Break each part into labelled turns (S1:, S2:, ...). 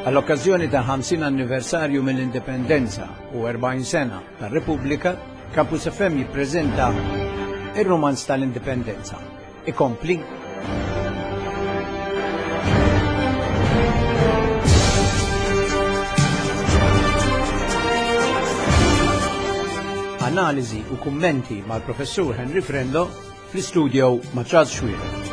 S1: Għall-okkażjoni tal-50 anniversarju mill-Indipendenza u 40 sena tar-Repubblika, Campus FM jippreżenta Ir-Rumanz tal-Indipendenza. Ikompli. Analiżi u kummenti mal-Professur Henry Frendo fl-istudio ma' Charles Xuereb.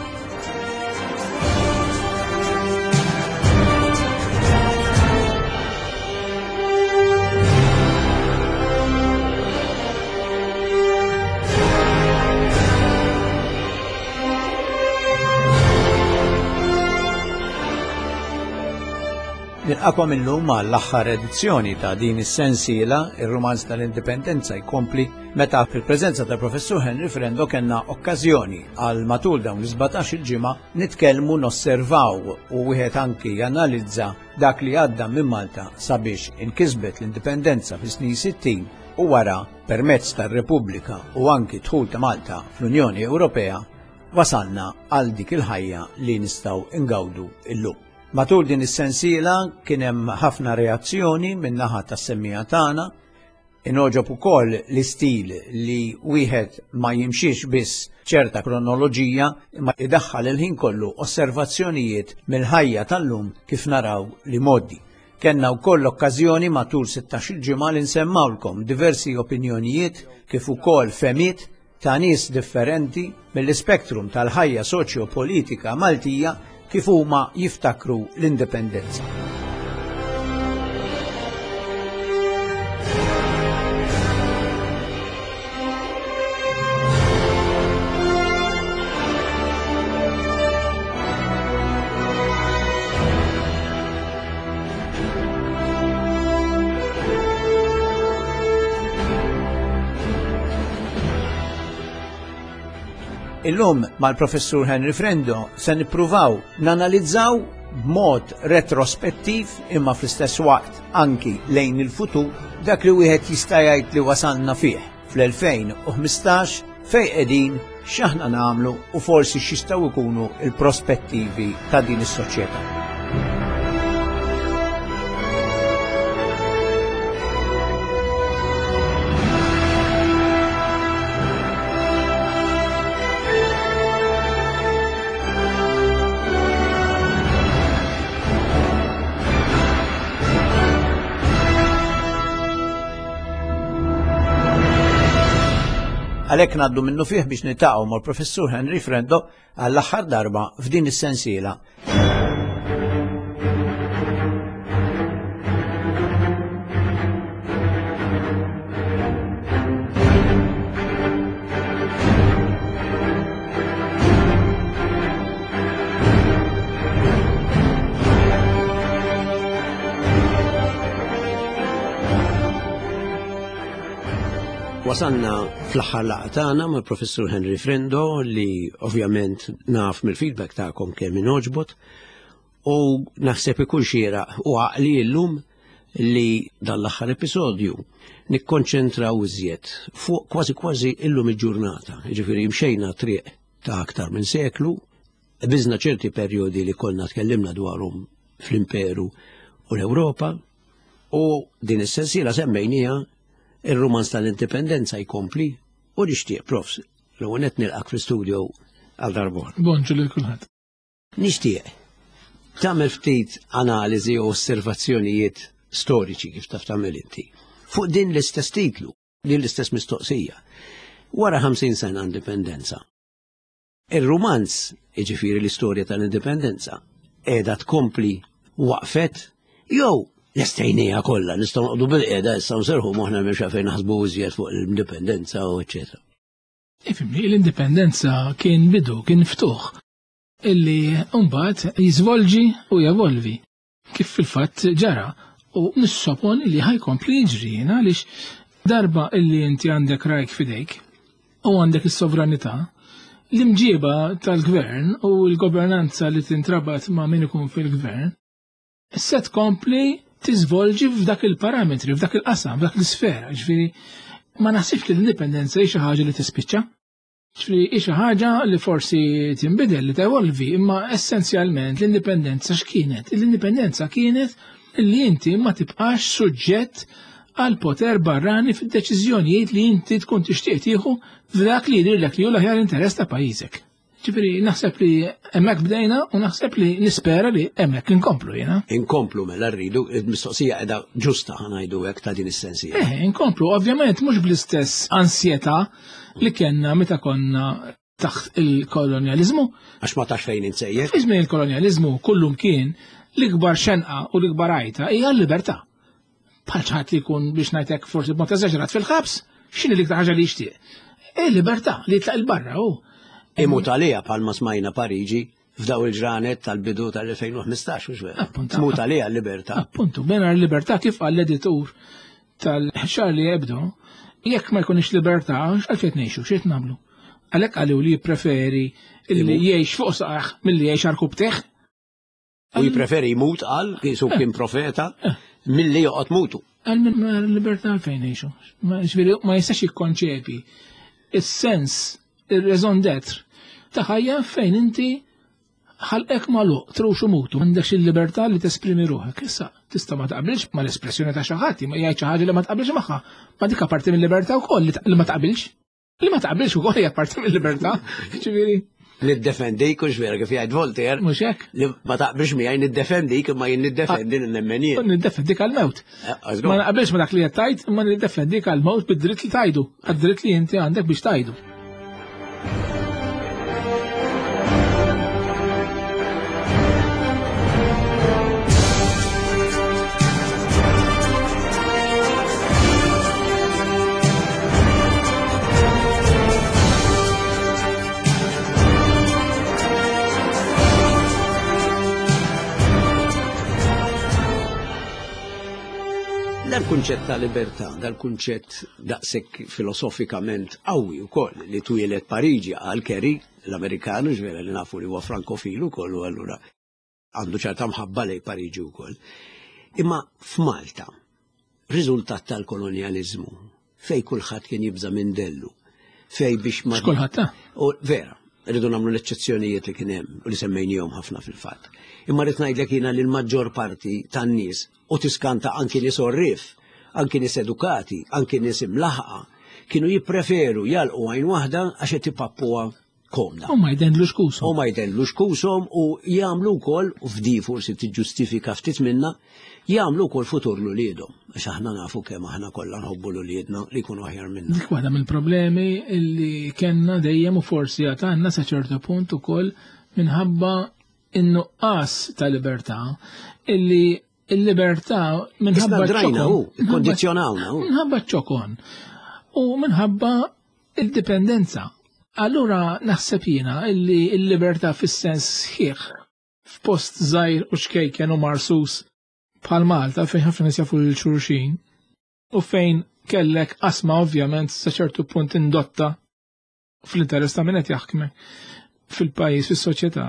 S1: Nilqakom illum għall-aħħar edizzjoni ta' din is-sensiela, ir-rumanz tal-Indipendenza jkompli meta fil-preżenza tal-Professur Henry Frendo kellna okkażjoni għal matul dawn l-17 il-ġimgħa nitkellmu nosservaw u wieħed anki janalizza dak li għadda minn Malta sabiex inkisbet l-indipendenza fis-snin 60 u wara permezz tar-Repubblika u anki dħul ta' Malta fl-Unjoni Ewropea wasalna għal dik il-ħajja li nistgħu ingawdu illum. Matul din is-sensiela kien hemm ħafna reazzjoni min-naħa tas-semmiegħa tagħna Ingħoġob ukoll l-istil li wieħed ma jimxiex biss ċerta kronoloġija imma idaħħal il-ħin kollu osservazzjonijiet mill-ħajja tal-lum kif naraw l-imgħoddi. Kellna wkoll l-okkażjoni matul 16-il ġimgħa li nsemmgħulkom diversi opinjonijiet kif ukoll fehmiet ta' nies differenti mill-ispektrum tal-ħajja soċjo-politika Maltija kif huma jiftakru l-indipendenza. Illum mal-Professur Henry Frendo se nippruvaw nanalizzaw b'mod retrospettiv imma fl-istess waqt anki lejn il-futur dak li wieħed jista' jgħid li wasalna fih fl-2015 fejn qegħdin x'aħna nagħmlu u forsi x'jistgħu jkunu l-prospettivi ta' din is-soċjetà. Għalhekk ngħaddu minnu fih biex niltaqgħu mal-Professur Henry Frendo għall-aħħar darba f'din is-sensiela. Wasalna fl-aħħar laqgħa tagħna mal-Professur Henry Frendo li ovvjament naf mill-feedback tagħkom kemm inogħġbot u naħseb ikun xieraq u għaqli llum li dan l-aħħar episodju nikkonċentraw iżjed fuq kważi kważi illum il-ġurnata. Jiġifieri mxejna triq ta' aktar minn seklu, biżna ċerti perjodi li konna tkellimna dwarhom fl-Imperu u l-Ewropa, u din is-sensiela semmejnija ir-rumanz tal-indipendenza jkompli u nixtieq profs l-ewwel qed nilqak fl-istudio għal darbor.
S2: Bonġu lil kulħadd.
S1: Nixtieq tagħmel ftit analiżi u osservazzjonijiet storiċi kif taf tagħmel inti fuq din l-istess titlu, din l-istess mistoqsija. Wara 50 sena indipendenza, Ir-rumanz, jiġifieri l-istorja tal-indipendenza, qiegħda tkompli waqfet jew lestejnija kollha nistgħu noqogħdu bil-qiegħda issa nserħu moħħna m'hemmx għalfejn naħsbu iżjed fuq l-indipendenza u eċċetera.
S2: Ifimni, l-indipendenza kien bidu, kien ftuħ illi mbagħad jiżvolġi u jevolvi. Kif fil-fatt ġara u nissoponi li ħajkompli jiġri jien għaliex darba illi inti għandek rajk fidejk u għandek is-sovranità, l-imġiba tal-gvern u l-governanza li tintrabat ma' min ikun fil-gvern se tkompli tiżvolġi f'dak il-parametri, f'dak il-qasam, f'dak l-isfera. Ġifieri ma naħsibx li l-indipendenza hi xi ħaġa li tispiċċa. Ġifieri hi xi ħaġa li forsi tinbidel li tevolvi, imma essenzjalment l-indipendenza x'kienet? L-indipendenza kienet Illi inti ma tibqax suġġett għal poter barrani fid-deċiżjonijiet li inti tkun tixtieq tieħu f'dak li jidhirlek li hu l-aħjar interess ta' pajjiżek. Ġifieri naħseb li hemmhekk bdejna u naħseb li nispera li hemmhekk inkomplu jiena.
S1: Inkomplu mela rridu, il-mistoqsija qiegħda ġusta ħanajdu hekk ta' din is-sensija.
S2: Eh, inkomplu, ovvjament mhux bl-istess ansjetà li kellna meta konna taħt il-kolonjaliżmu.
S1: Għax ma tax fejn insejjer.
S2: Fi żmien il-kolonjaliżmu kullum kien l-ikbar xenqa u l-ikbar għajta hija l-libertà. Bħal ħadd li jkun biex ngħidlek forsi b'mod eżaġerat fil-ħabs, x'inhi l-iktar ħaġa li jixtieq? Il-libertà li jitlaq il-barra u.
S1: Imut għalija bħalma smajna Pariġi f'daw il-ġranet tal-bidu tal-2015, u vera. Tmut għalija l-libertà.
S2: Appuntu, bena l-libertà kif għall editur tal-Charlie Hebdo, jekk ma jkunix libertà, għalfejn ngħixu, xejn nagħmlu. Għalhekk għaliw li jippreferi li jgħix fuq saqaħ milli jgħix għarkub teħ.
S1: U jipreferi jmut għal, kisu kien profeta, eh. milli joqgħod mutu.
S2: Għal minn libertà għalfejn ngħixu. Ġifieri ma jistax jikkonċepi is-sens, ir-raison d'être ta' ħajja fejn inti ħalqek magħluq, trux u mutu, m'għandekx il-libertà li tesprimi ruħek. Issa, tista' ma taqbilx mal-espressjoni ta' xi ħadd, ma jgħid xi ħaġa li ma taqbilx magħha. Ma dik parti mill-libertà wkoll li ma taqbilx. Li ma taqbilx ukoll hija parti mill-libertà, ġifieri.
S1: Niddefendik u vera kif jgħid Voltaire.
S2: Mhux hekk.
S1: Li ma taqbilx miegħi niddefendik imma jien niddefendi li nemmen jien.
S2: Niddefendik għall-mewt. Eh, ma naqbilx ma dak li qed tgħid, imma niddefendik għall-mewt bid-dritt li tajdu, għad-dritt li inti għandek biex tajdu.
S1: Dal-kunċett ta' libertà, dal-kunċett daqshekk filosofikament qawwi wkoll li twieled Pariġi għal Kerry, l-Amerikanu ġvera li nafu li huwa frankofilu wkoll u allura għandu ċerta mħabba lej Pariġi wkoll. Imma f'Malta, riżultat tal-kolonjaliżmu, fej kulħadd kien jibża' minn dellu, fej biex ma.
S2: X'kulħadd ta'
S1: U vera, rridu nagħmlu l-eċċezzjonijiet li kien hemm u li semmejnihom ħafna fil-fatt. Imma rrid ngħidlek jiena li l-maġġor parti tan-nies u tiskanta anki nies orrif, anki nies edukati, anki nies imlaħqa, kienu jippreferu jalqu għajn waħda għax qed ipappuha komda.
S2: U ma jdendlux kushom.
S1: U ma jdendlux kushom u jagħmlu wkoll, u f'di forsi tiġġustifika ftit minna, jagħmlu wkoll futur l-uliedhom. Għax aħna nafu kemm aħna kollha nħobbu l-uliedna li jkunu aħjar minna.
S2: Dik waħda mill-problemi li kellna dejjem u forsi għad għandna sa ċertu punt ukoll minħabba in-nuqqas ta' libertà illi il-libertà minħabba
S1: drajna u kondizjonawna.
S2: Minħabba ċokon u minħabba il-dipendenza. Allura naħseb jiena illi l-libertà fis-sens sħiħ f'post żgħir u xkejken u marsus bħal Malta fejn ħafna nies jafu lil xulxin u fejn kellek qasma ovvjament sa ċertu punt indotta fl-interess ta' min qed jaħkmek fil-pajjiż, fis-soċjetà.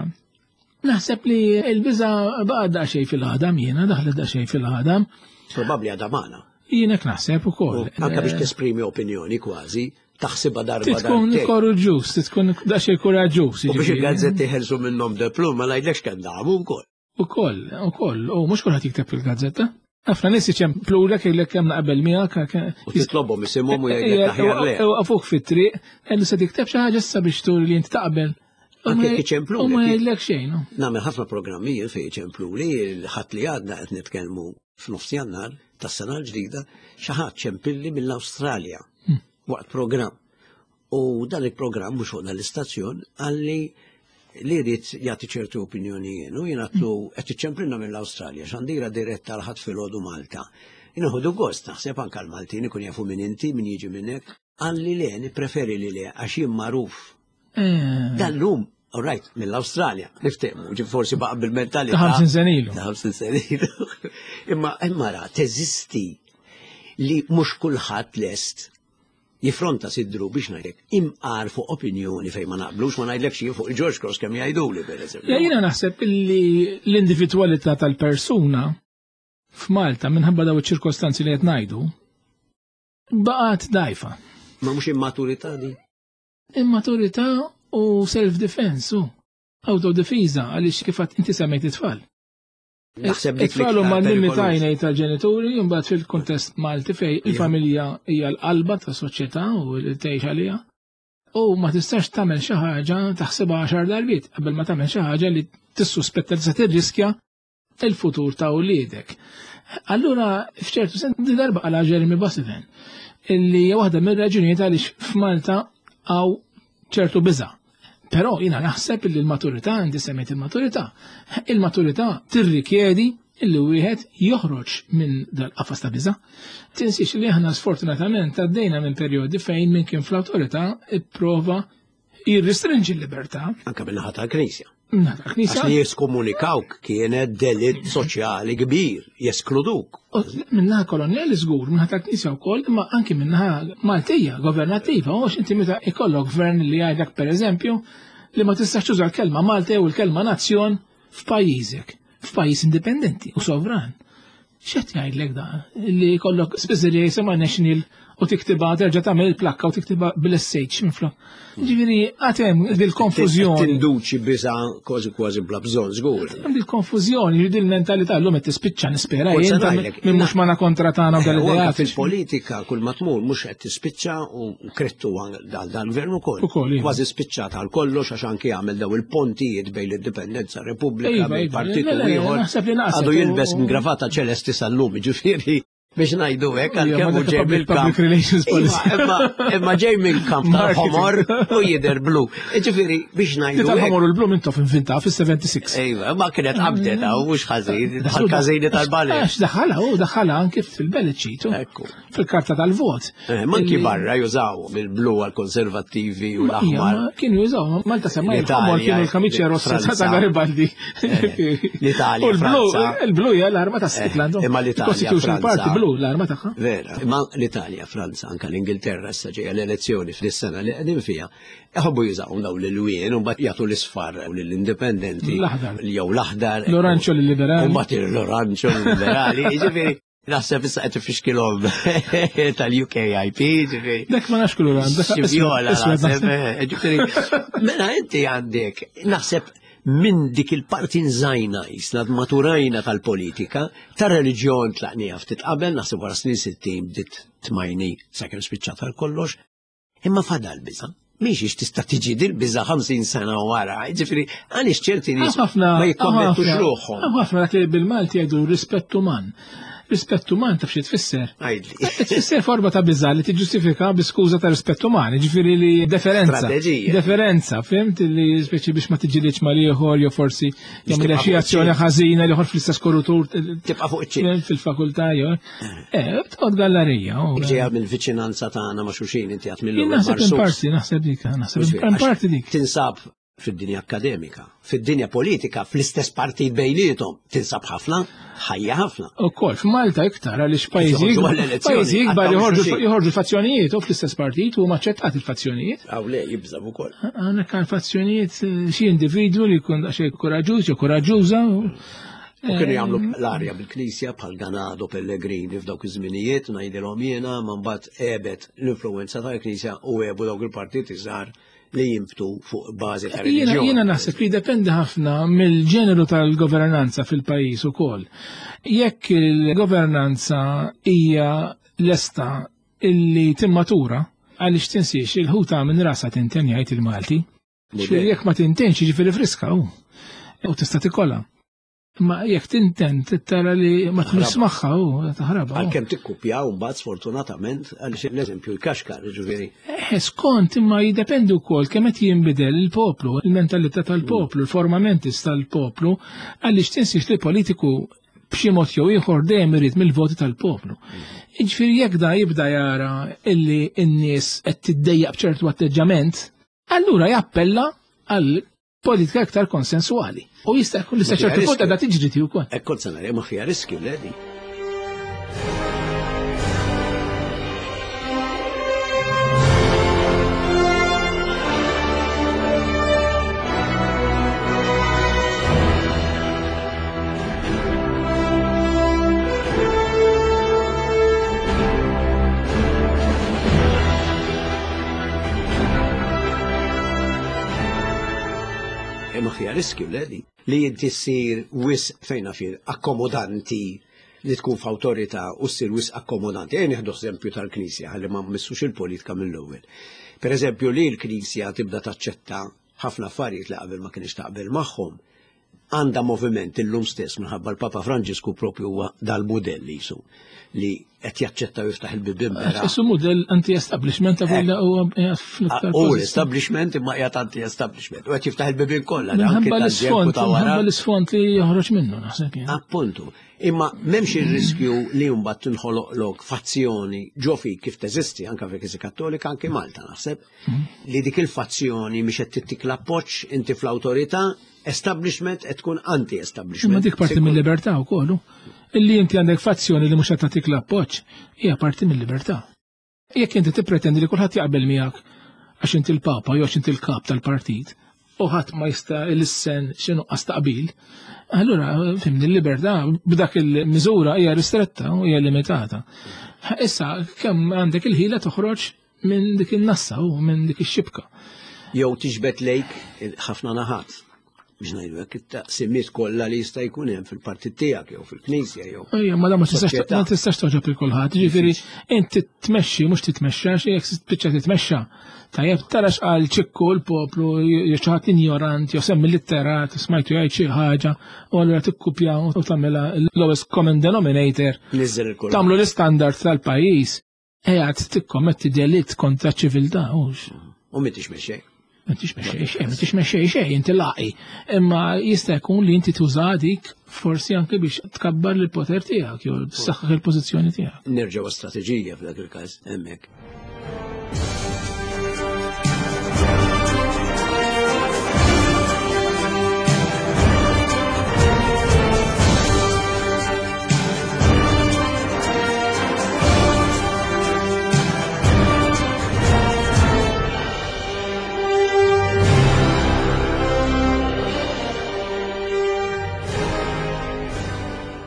S2: Naħseb li l-biża baqa' daqsxejn fil-ħadam jiena, daħlet daqsxejn fil-ħadam.
S1: Probabbli għadha magħna.
S2: Jien hekk naħseb ukoll.
S1: Anke biex tesprimi opinjoni kważi, taħsibha darba.
S2: Tkun koraġġuż, tkun daqsxejn kuraġġuż.
S1: U biex il-gazzetti ħelsu minnhom deplum ma ngħidlekx kemm damu wkoll.
S2: Ukoll, ukoll, u mhux kulħadd jikteb fil-gazzetta. Ħafna nies iċemplulek jgħidlek kemm naqbel miegħek.
S1: U titlobhom isimhom u jgħidlek aħjar le.
S2: Waqfuk fit-triq, għallu se tikteb xi ħaġa issa biex turi li inti taqbel.
S1: Anke iċemplulek.
S2: U ma jgħidlek xejn.
S1: Nagħmel ħafna programmi jien fejn iċempluli, ħadd li għadna qed nitkellmu f'nofs Jannar tas-sena l-ġdida, xi ħadd ċempilli mill-Awstralja hmm. waqt programm. U dan il-programm mhux fuq dan l-istazzjon għalli li jrid jagħti ċertu opinjoni jien u jien għatlu qed iċċemplinna mill-Awstralja xandira diretta għal ħadd filgħodu Malta. Inħodu gost naħseb anke l-Maltin ikun jafu minn inti, min jiġi minn hekk. Għalli le, nippreferi li le għax jien magħruf. Eh. Dal-lum, all right, mill-Awstralja, niftehmu, ġi forsi baqa' bil-mentalità.
S2: Ta' 50 senilu.
S1: Ta' 50 senilu. Imma imma ra, teżisti li mhux kulħadd lest jifronta sidru biex ngħidlek imqar fuq opinjoni fejn ma naqblux ma ngħidlekx jien fuq il-George Cross kemm jgħiduli pereżempju.
S2: Jiena naħseb li l-individwalità tal-persuna f'Malta minħabba daw iċ-ċirkostanzi li qed ngħidu baqgħet dajfa.
S1: Ma mhux immaturità di?
S2: Immaturità u self-defense u autodifiża għaliex kif inti semmejt it-tfal.
S1: Naħseb dik
S2: It-tfal huma l-limitajnej tal-ġenituri, imbagħad fil-kuntest Malti fej il-familja hija l-qalba tas-soċjetà u li tgħix għaliha. U ma tistax tagħmel xi ħaġa taħsibha għaxar darbiet qabel ma tagħmel xi ħaġa li tissuspetta li se tirriskja il-futur ta' uliedek. Allura, f'ċertu sens, di darba għala Jeremy Bossevin, illi hija waħda mir-raġunijiet għaliex f'Malta għaw ċertu biża'. Però jiena naħseb li l-maturità, inti semmejt il-maturità, il-maturità tirrikjedi illi wieħed joħroġ minn dal-qafas ta' biża'. Tinsiex li aħna sfortunatament għaddejna minn perjodi fejn min kien fl-awtorità ipprova jirrestrinġi l-libertà.
S1: Anka min-naħa tal-Knisja.
S2: Minnaħa tal-Knisja.
S1: Għax li jeskomunikawk kienet delitt soċjali kbir, jeskluduk.
S2: Minnaħa kolonjali żgur, minnaħa tal-Knisja wkoll, imma anki minnaħa Maltija, governattiva, u inti meta ikollok gvern li jgħidlek pereżempju li ma tistax tuża l-kelma Malta jew il-kelma nazzjon f'pajjiżek, f'pajjiż indipendenti u sovran. X'qed jgħidlek dan? Li jkollok spiżerija jisimha National u tiktibha terġa' tagħmel il-plakka u tiktibha bil-SH minflok. Ġifieri għad hemm dil-konfużjoni.
S1: Tinduċi biża' kważi kważi bla bżonn żgur.
S2: Hemm dil-konfużjoni, ġifieri dil-mentalità llum qed tispiċċa nispera jien minn mhux magħna kontra tagħna u dal-idea.
S1: Fil-politika kull ma tmur mhux qed tispiċċa u krettu dal-gvern ukoll.
S2: Ukoll, iva.
S1: Kważi spiċċat għal kollox għax anki għamel daw il-pontijiet bejn l-Indipendenza Repubblika
S2: Iva,
S1: bejn
S2: iva,
S1: partit
S2: le,
S1: u
S2: le, le,
S1: ieħor.
S2: naħseb li naqset
S1: Għadu
S2: u-
S1: jilbes gravata ċelesti sal-lum, ġifieri biex ngħidu hekk
S2: Ija,
S1: għalkemm
S2: ma
S1: hu
S2: dak
S1: ġej
S2: public-
S1: mill-kamp.
S2: public relations policy.
S1: Iva, Imma ġej mill-kamp tal-ħomor u jidher blu. Ġifieri biex ngħidu hekk.
S2: Tal-ħomor u l-blu mintof invinta fis-76.
S1: Iva, ma kienet qabdet hawn mhux ħażin, bħal każini tal-ballet.
S2: Għax daħalha u daħalha anki fil-ballot sheet, u
S1: Ekku.
S2: fil-karta tal-vot.
S1: Manki
S2: Illi-
S1: barra jużaw bil-blu għal-konservattivi u
S2: Ija,
S1: l-aħmar.
S2: ma Kienu jużaw, Malta semma
S1: L-Italja,
S2: il-ħomor kienu l-kamiċja rossa
S1: Franza.
S2: ta' Garibaldi.
S1: L-Italja,
S2: U l-blu,
S1: Franza.
S2: il-blu hija l-arma ta' Scotland.
S1: Imma l-Italja,
S2: Constitutional
S1: Franza.
S2: Party blu l-arma tagħha.
S1: Vera, imma l-Italja, Franza, anka l-Ingilterra issa ġejja l-elezzjoni fis-sena li qegħdin fiha, iħobbu jużaw daw l-ilwien u mbagħad jagħtu l-isfar u lill-indipendenti.
S2: L-aħdar.
S1: Jew l-aħdar.
S2: L-oranġo lill-liberali.
S1: U mbagħad l-oranġo lill-liberali. Jiġifieri naħseb issa qed ifixkilhom tal-UKIP, ġifieri.
S2: Dak ma nafx kulur għand, dak
S1: Xi vjola
S2: iswed
S1: naħseb,
S2: naħseb.
S1: ġifieri, Mela inti għandek, naħseb minn dik il-parti nżajna jisna maturajna tal-politika, tar-reliġjon tlaqnija ftit qabel, naħseb wara snin 60 bdiet tmajni sakemm spiċċat għal kollox, imma fadal biża. Mhix tista' tiġi dil biża 50 sena wara, ġifieri għaliex ċerti nies
S2: Ħafna
S1: ma jikkommettux
S2: ħafna-
S1: ruħhom.
S2: Ħafna dak li bil-Malti jgħidu rispett uman. Rispett uman taf xi tfisser.
S1: Għidli.
S2: Tfisser forma ta' biża' li tiġġustifika bi skuża ta' rispett uman, ġifieri li deferenza.
S1: Strateġija.
S2: Deferenza, fimt li speċi biex ma tiġġilitx mal-ieħor jew forsi jagħmel
S1: tibqa'
S2: xi
S1: fuq
S2: azzjoni
S1: iċ-ċint.
S2: ħażina li ieħor fl-istess korutur
S1: Tibqa' fuq iċ-ċint.
S2: fil-fakultà jew. Toqgħod gallerija. u-
S1: Ġejja mill-viċinanza tagħna ma' xulxin inti għat mill
S2: Jien naħseb in parti, naħseb dik, naħseb in parti dik.
S1: Tinsab fid-dinja akademika, fid-dinja politika, fl-istess partit bejnietom, tinsab ħafna, ħajja ħafna.
S2: U kol, f'Malta iktar, għaliex pajjiżi
S1: Joħorġu għall-elezzjoni,
S2: pajjiżi ikbar
S1: għattaw
S2: joħorġu
S1: xulxin.
S2: joħorġu fazzjonijiet u fl-istess partit u maċċettat il-fazzjonijiet.
S1: Aw le, jibżab ukoll.
S2: Għandek għal fazzjonijiet xi individwu li jkun daqsxejn koraġġuż jew koraġġuża.
S1: U kienu jagħmlu l-arja bil-Knisja bħal Ganado Pellegrini f'dawk iż-żminijiet, ngħidilhom jiena, ma mbagħad għebet l-influenza tal-Knisja u għebu dawk il-partiti żgħar li jimbtu fuq bażi ta'
S2: Jiena
S1: reliġjon.
S2: jiena naħseb li dependi ħafna mill-ġeneru tal-governanza fil-pajjiż ukoll. Jekk il-governanza hija lesta illi timmatura, għaliex tinsiex il-ħuta minn rasa tinten jgħid il-Malti. Ġifieri jekk ma tintenx jiġifieri friska hu. U tista' tikollha. Ma jekk tinten tara li ma tmux magħha hu taħrabha. hu.
S1: Għalkemm tikkupjaw mbagħad sfortunatament għaliex l-eżempju l-kaxkar, ġifieri.
S2: Skont imma jiddependi wkoll kemm qed jinbidel il-poplu, il-mentalità tal-poplu, il-formamentis tal-poplu, għaliex tinsiex li politiku b'xi mod jew ieħor dejjem irid mill-voti tal-poplu. Jiġifieri jekk da jibda jara illi n-nies qed tiddejjaq b'ċertu atteġġament, allura jappella għal politika iktar konsensuali. U jista' jkun li sa
S1: Ma fiha
S2: ċertu punt
S1: riskju.
S2: qiegħda tiġri ti wkoll.
S1: Hekk kont se ngħid, ma fiha riskju ledi. Ma fiha Riskju le li li inti ssir wisq fejn naf jien akkomodanti li tkun f'awtorità u ssir wisq akkomodanti. Ejja nieħdu eżempju tal-Knisja ħalli ma mmissux il-politika mill-ewwel. Per eżempju li l-Knisja tibda taċċetta ħafna affarijiet li qabel ma kienx taqbel magħhom għandha moviment illum stess minħabba l-Papa Franġisku propju huwa dal-mudell jisu li qed jaċċetta u jiftaħ il-bibien
S2: bera. Issu mudell anti-establishment ta' kollha huwa
S1: fl-iktar. U l-establishment imma qiegħed anti-establishment u qed jiftaħ il-bibien kollha.
S2: Minħabba l-isfond, minħabba l-isfond li joħroġ minnu naħseb.
S1: Appuntu. Imma m'hemmx ir-riskju li mbagħad tinħoloqlok fazzjoni ġo fik kif teżisti anke fil-Knisja Kattolika anke Malta naħseb li dik il-fazzjoni mhix qed tittik l-appoġġ inti fl-awtorità establishment qed tkun anti-establishment.
S2: Imma dik parti mill-libertà wkoll. Illi inti għandek fazzjoni li mhux qed tagħtik l-appoġġ hija parti mill-libertà. Jekk inti tippretendi li kulħadd jaqbel miegħek għax inti l-Papa jew għax inti l-kap tal-partit u ħadd ma jista' lissen xi nuqqas taqbil, allura fimni l-libertà b'dak il-miżura hija ristretta u hija limitata. Issa kemm għandek il-ħila toħroġ minn dik in-nassa u minn dik ix-xibka.
S1: Jew tiġbed lejk ħafna naħat biex ngħidu hekk it-taqsimiet kollha li jista' jkun hemm fil-partit tiegħek jew fil-knisja jew.
S2: Ejja, ma ma tistax ma tistax toġob il kulħadd, ġifieri inti tmexxi mhux titmexxa xi jekk tispiċċa titmexxa. Tajjeb tara x'qal ċikku l-poplu jew xi ħadd injorant jew semmi litterat smajtu jgħid xi ħaġa u allura tikkupja u tagħmilha l-lowest common denominator. Tagħmlu l-istandard tal-pajjiż. Qiegħed tikkommetti delitt kontra ċ-ċiviltà, hux.
S1: U m'intix mexxej.
S2: M'intix mexxej xejn, m'intix mexxej xejn, inti laqi. Imma jista' jkun li inti tuża dik forsi anke biex tkabbar l-poter tiegħek jew tsaħħaħ il-pożizzjoni tiegħek.
S1: Nerġgħu strateġija f'dak il-każ hemmhekk.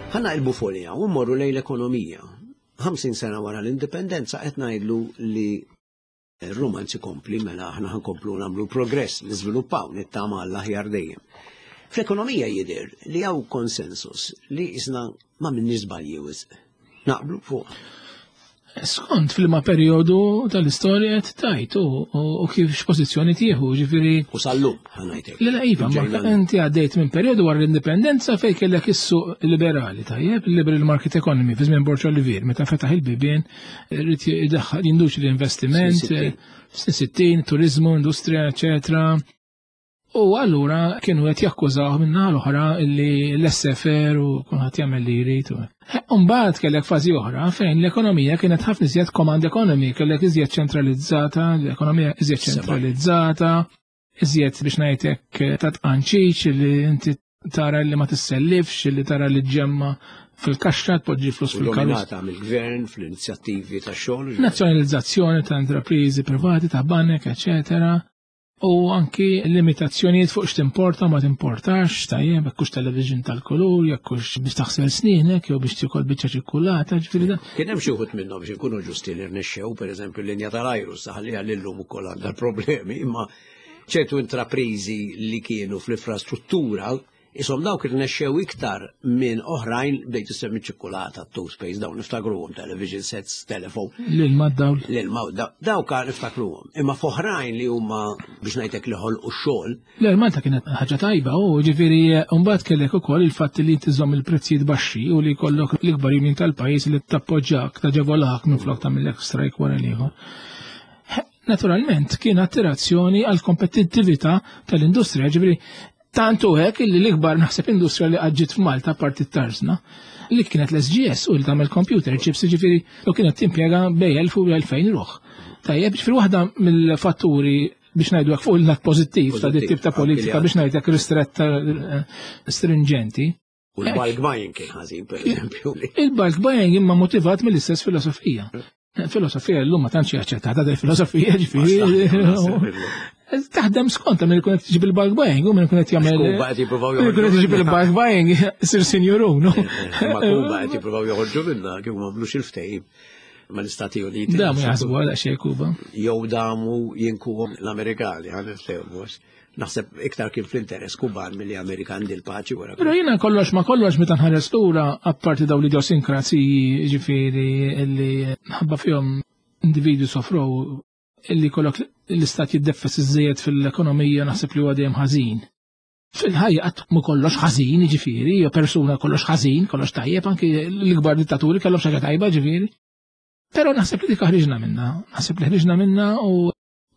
S1: Ħanna il-bufolija u mmorru lejn l-ekonomija. 50 sena wara l-indipendenza qed ngħidlu li Ir-rumanz ikompli mela aħna ħankomplu nagħmlu progress, niżviluppaw, nittama għall-aħjar dejjem. Fl-ekonomija jidher li hawn konsensus li isna ma minni żbalji wisq. Naqblu fuq.
S2: Skont fil-ma periodu tal-istorja qed tajt u kif x'pożizzjoni tieħu, ġifieri.
S1: U sal-lum ħanajtek.
S2: Le iva, ma inti għaddejt minn periodu wara l-indipendenza fejn kellek is-suq liberali, tajjeb, liberal market economy fi żmien Borġ Olivier, meta fetaħ il-bibien Rrid jidaħħal jinduċi l-investiment, snin 60, turizmu, industrija, eċetera. U allura kienu qed jakkużaw minna l-oħra li l-SFR u kulħadd jagħmel li jrid. Umbagħad kellek fażi oħra fejn l-ekonomija kienet ħafna iżjed command economy, kellek iżjed ċentralizzata, l-ekonomija iżjed ċentralizzata, iżjed biex ngħidlek ta' tqanċiċ li inti tara li ma tissellifx, li tara li ġemma fil-kaxxa tpoġġi flus fil-karozza.
S1: Dominata mill-gvern fl-inizjattivi ta' xogħol.
S2: Nazzjonalizzazzjoni ta' intrapriżi privati, ta' banek, eċetera. U anki limitazzjonijiet fuq x'timporta ma timportax, tajjeb, jekk hux television tal-kulur, jekk hux biex taħsel snienek, jew biex tikol biċċa ċikkulata, ġifieri da.
S1: Kien hemm xi wħud minnhom biex inkunu ġusti li rnexxew, pereżempju l-linja tal-ajru saħli għal illum ukoll għandha problemi, imma ċertu intraprizi li kienu fl-infrastruttura isom dawk irnexxew iktar minn oħrajn bdejt issemmi ċikkulata, toothpaste, dawn niftakruhom, television sets, telefon.
S2: L-ilma dawl.
S1: L-ilma dawk niftakruhom. Imma f'oħrajn li huma biex ngħidlek li ħolqu x-xogħol.
S2: Le, Malta kienet ħaġa tajba u ġifieri mbagħad kellek ukoll il-fatt li tiżomm il-prezzijiet baxxi u li jkollok l-ikbar union tal-pajjiż li tappoġġjak, taġevolak minflok tagħmillek strike wara l-ieħor. Naturalment kien attirazzjoni għal kompetittività tal-industrija, ġifieri tant u hekk illi l-ikbar naħseb industrija li għadġiet f'Malta parti tarzna li kienet l-SGS u li tagħmel computer chips ġifieri u kienet timpjega bej 1000 u 2000 ruħ. Tajjeb, ġifieri waħda mill-fatturi biex ngħidu fuq il-lat pożittiv ta' dit tip ta' politika biex ngħidlek ristretta eh, stringenti.
S1: U l-bulk buying kien ħażin, per eżempju.
S2: Il-bulk buying imma motivat mill-istess filosofija. Filosofija l-lum ma tantx jaċċettata dal filosofija ġifieri. Taħdem skont minn ikun qed tiġi bil-bulk buying u minn ikun qed jagħmel.
S1: Kuba qed jippruvaw
S2: joħorġu. Ikun qed tiġi bil-bulk buying sir sinjurun.
S1: Eh, eh, ma Kuba qed jippruvaw joħorġu minna kif ma għamlux il-ftehim mal-Istati Uniti.
S2: Damu jaħsbu għal xejn Kuba.
S1: Jew damu jinkuhom l-Amerikani, ħan niftehmu. Naħseb iktar kien fl-interess Kuban milli Amerikan dil-paċi wara.
S2: Però jiena kollox ma kollox meta nħares lura apparti dawn l-idiosinkraziji ġifieri illi ħabba fihom individwi sofrow illi kollok l-istat jiddeffes iżżejjed fil-ekonomija naħseb li huwa dejjem ħażin. Fil-ħajja qatt mu kollox ħażin, ġifieri, jew persuna kollox ħażin, kollox tajjeb, anki l-ikbar dittaturi kellhom xi ħaġa tajba, ġifieri. Però naħseb li dik ħriġna minna, naħseb li ħriġna minna u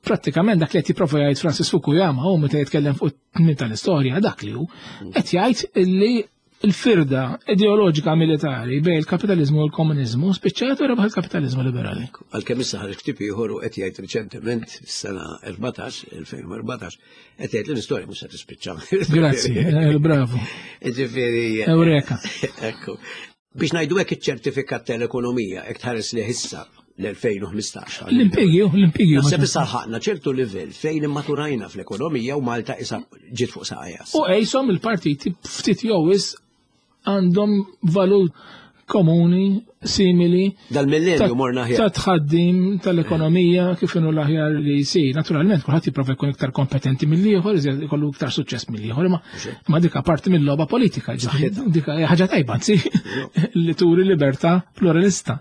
S2: prattikament dak li qed jipprova jgħid Francis Fukuyama hu meta jitkellem fuq it-tmiem tal-istorja dak li hu qed jgħid li l-firda ideoloġika militari bejn il-kapitalizmu u l-komuniżmu spiċċat u rebaħ il-kapitalizmu liberali.
S1: Għalkemm issa ħareġ ktieb ieħor u qed jgħid riċentement fis-sena 14, 2014, qed jgħid li l-istorja mhux se tispiċċa.
S2: Grazzi, eh, bravo.
S1: Ġifieri.
S2: Eureka.
S1: Ekku. Biex ngħidu hekk iċ-ċertifikat tal-ekonomija hekk tħares li issa l-2015.
S2: L-impjegi, l-impjegi.
S1: Naħseb issa ħaqna ċertu livell fejn immaturajna fl-ekonomija u Malta issa ġiet fuq saqajja.
S2: U qejshom il-partiti ftit jew għandhom valur komuni, simili.
S1: Dal-millenju morna
S2: ħjar. Ta' tħaddim tal-ekonomija kif inhu l-aħjar li jsir. Naturalment, kulħadd jipprova jkun iktar kompetenti mill-ieħor, ikollu iktar suċċess mill-ieħor, ma dika parti mill-logħba politika, dika ħaġa tajba, anzi, li turi libertà pluralista.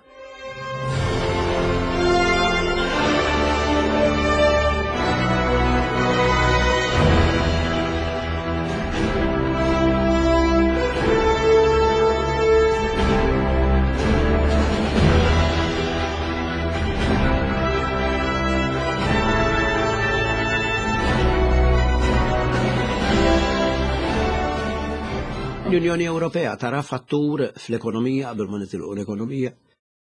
S1: L-Unjoni Ewropea tara fattur fl-ekonomija qabel ma nitilqu l-ekonomija.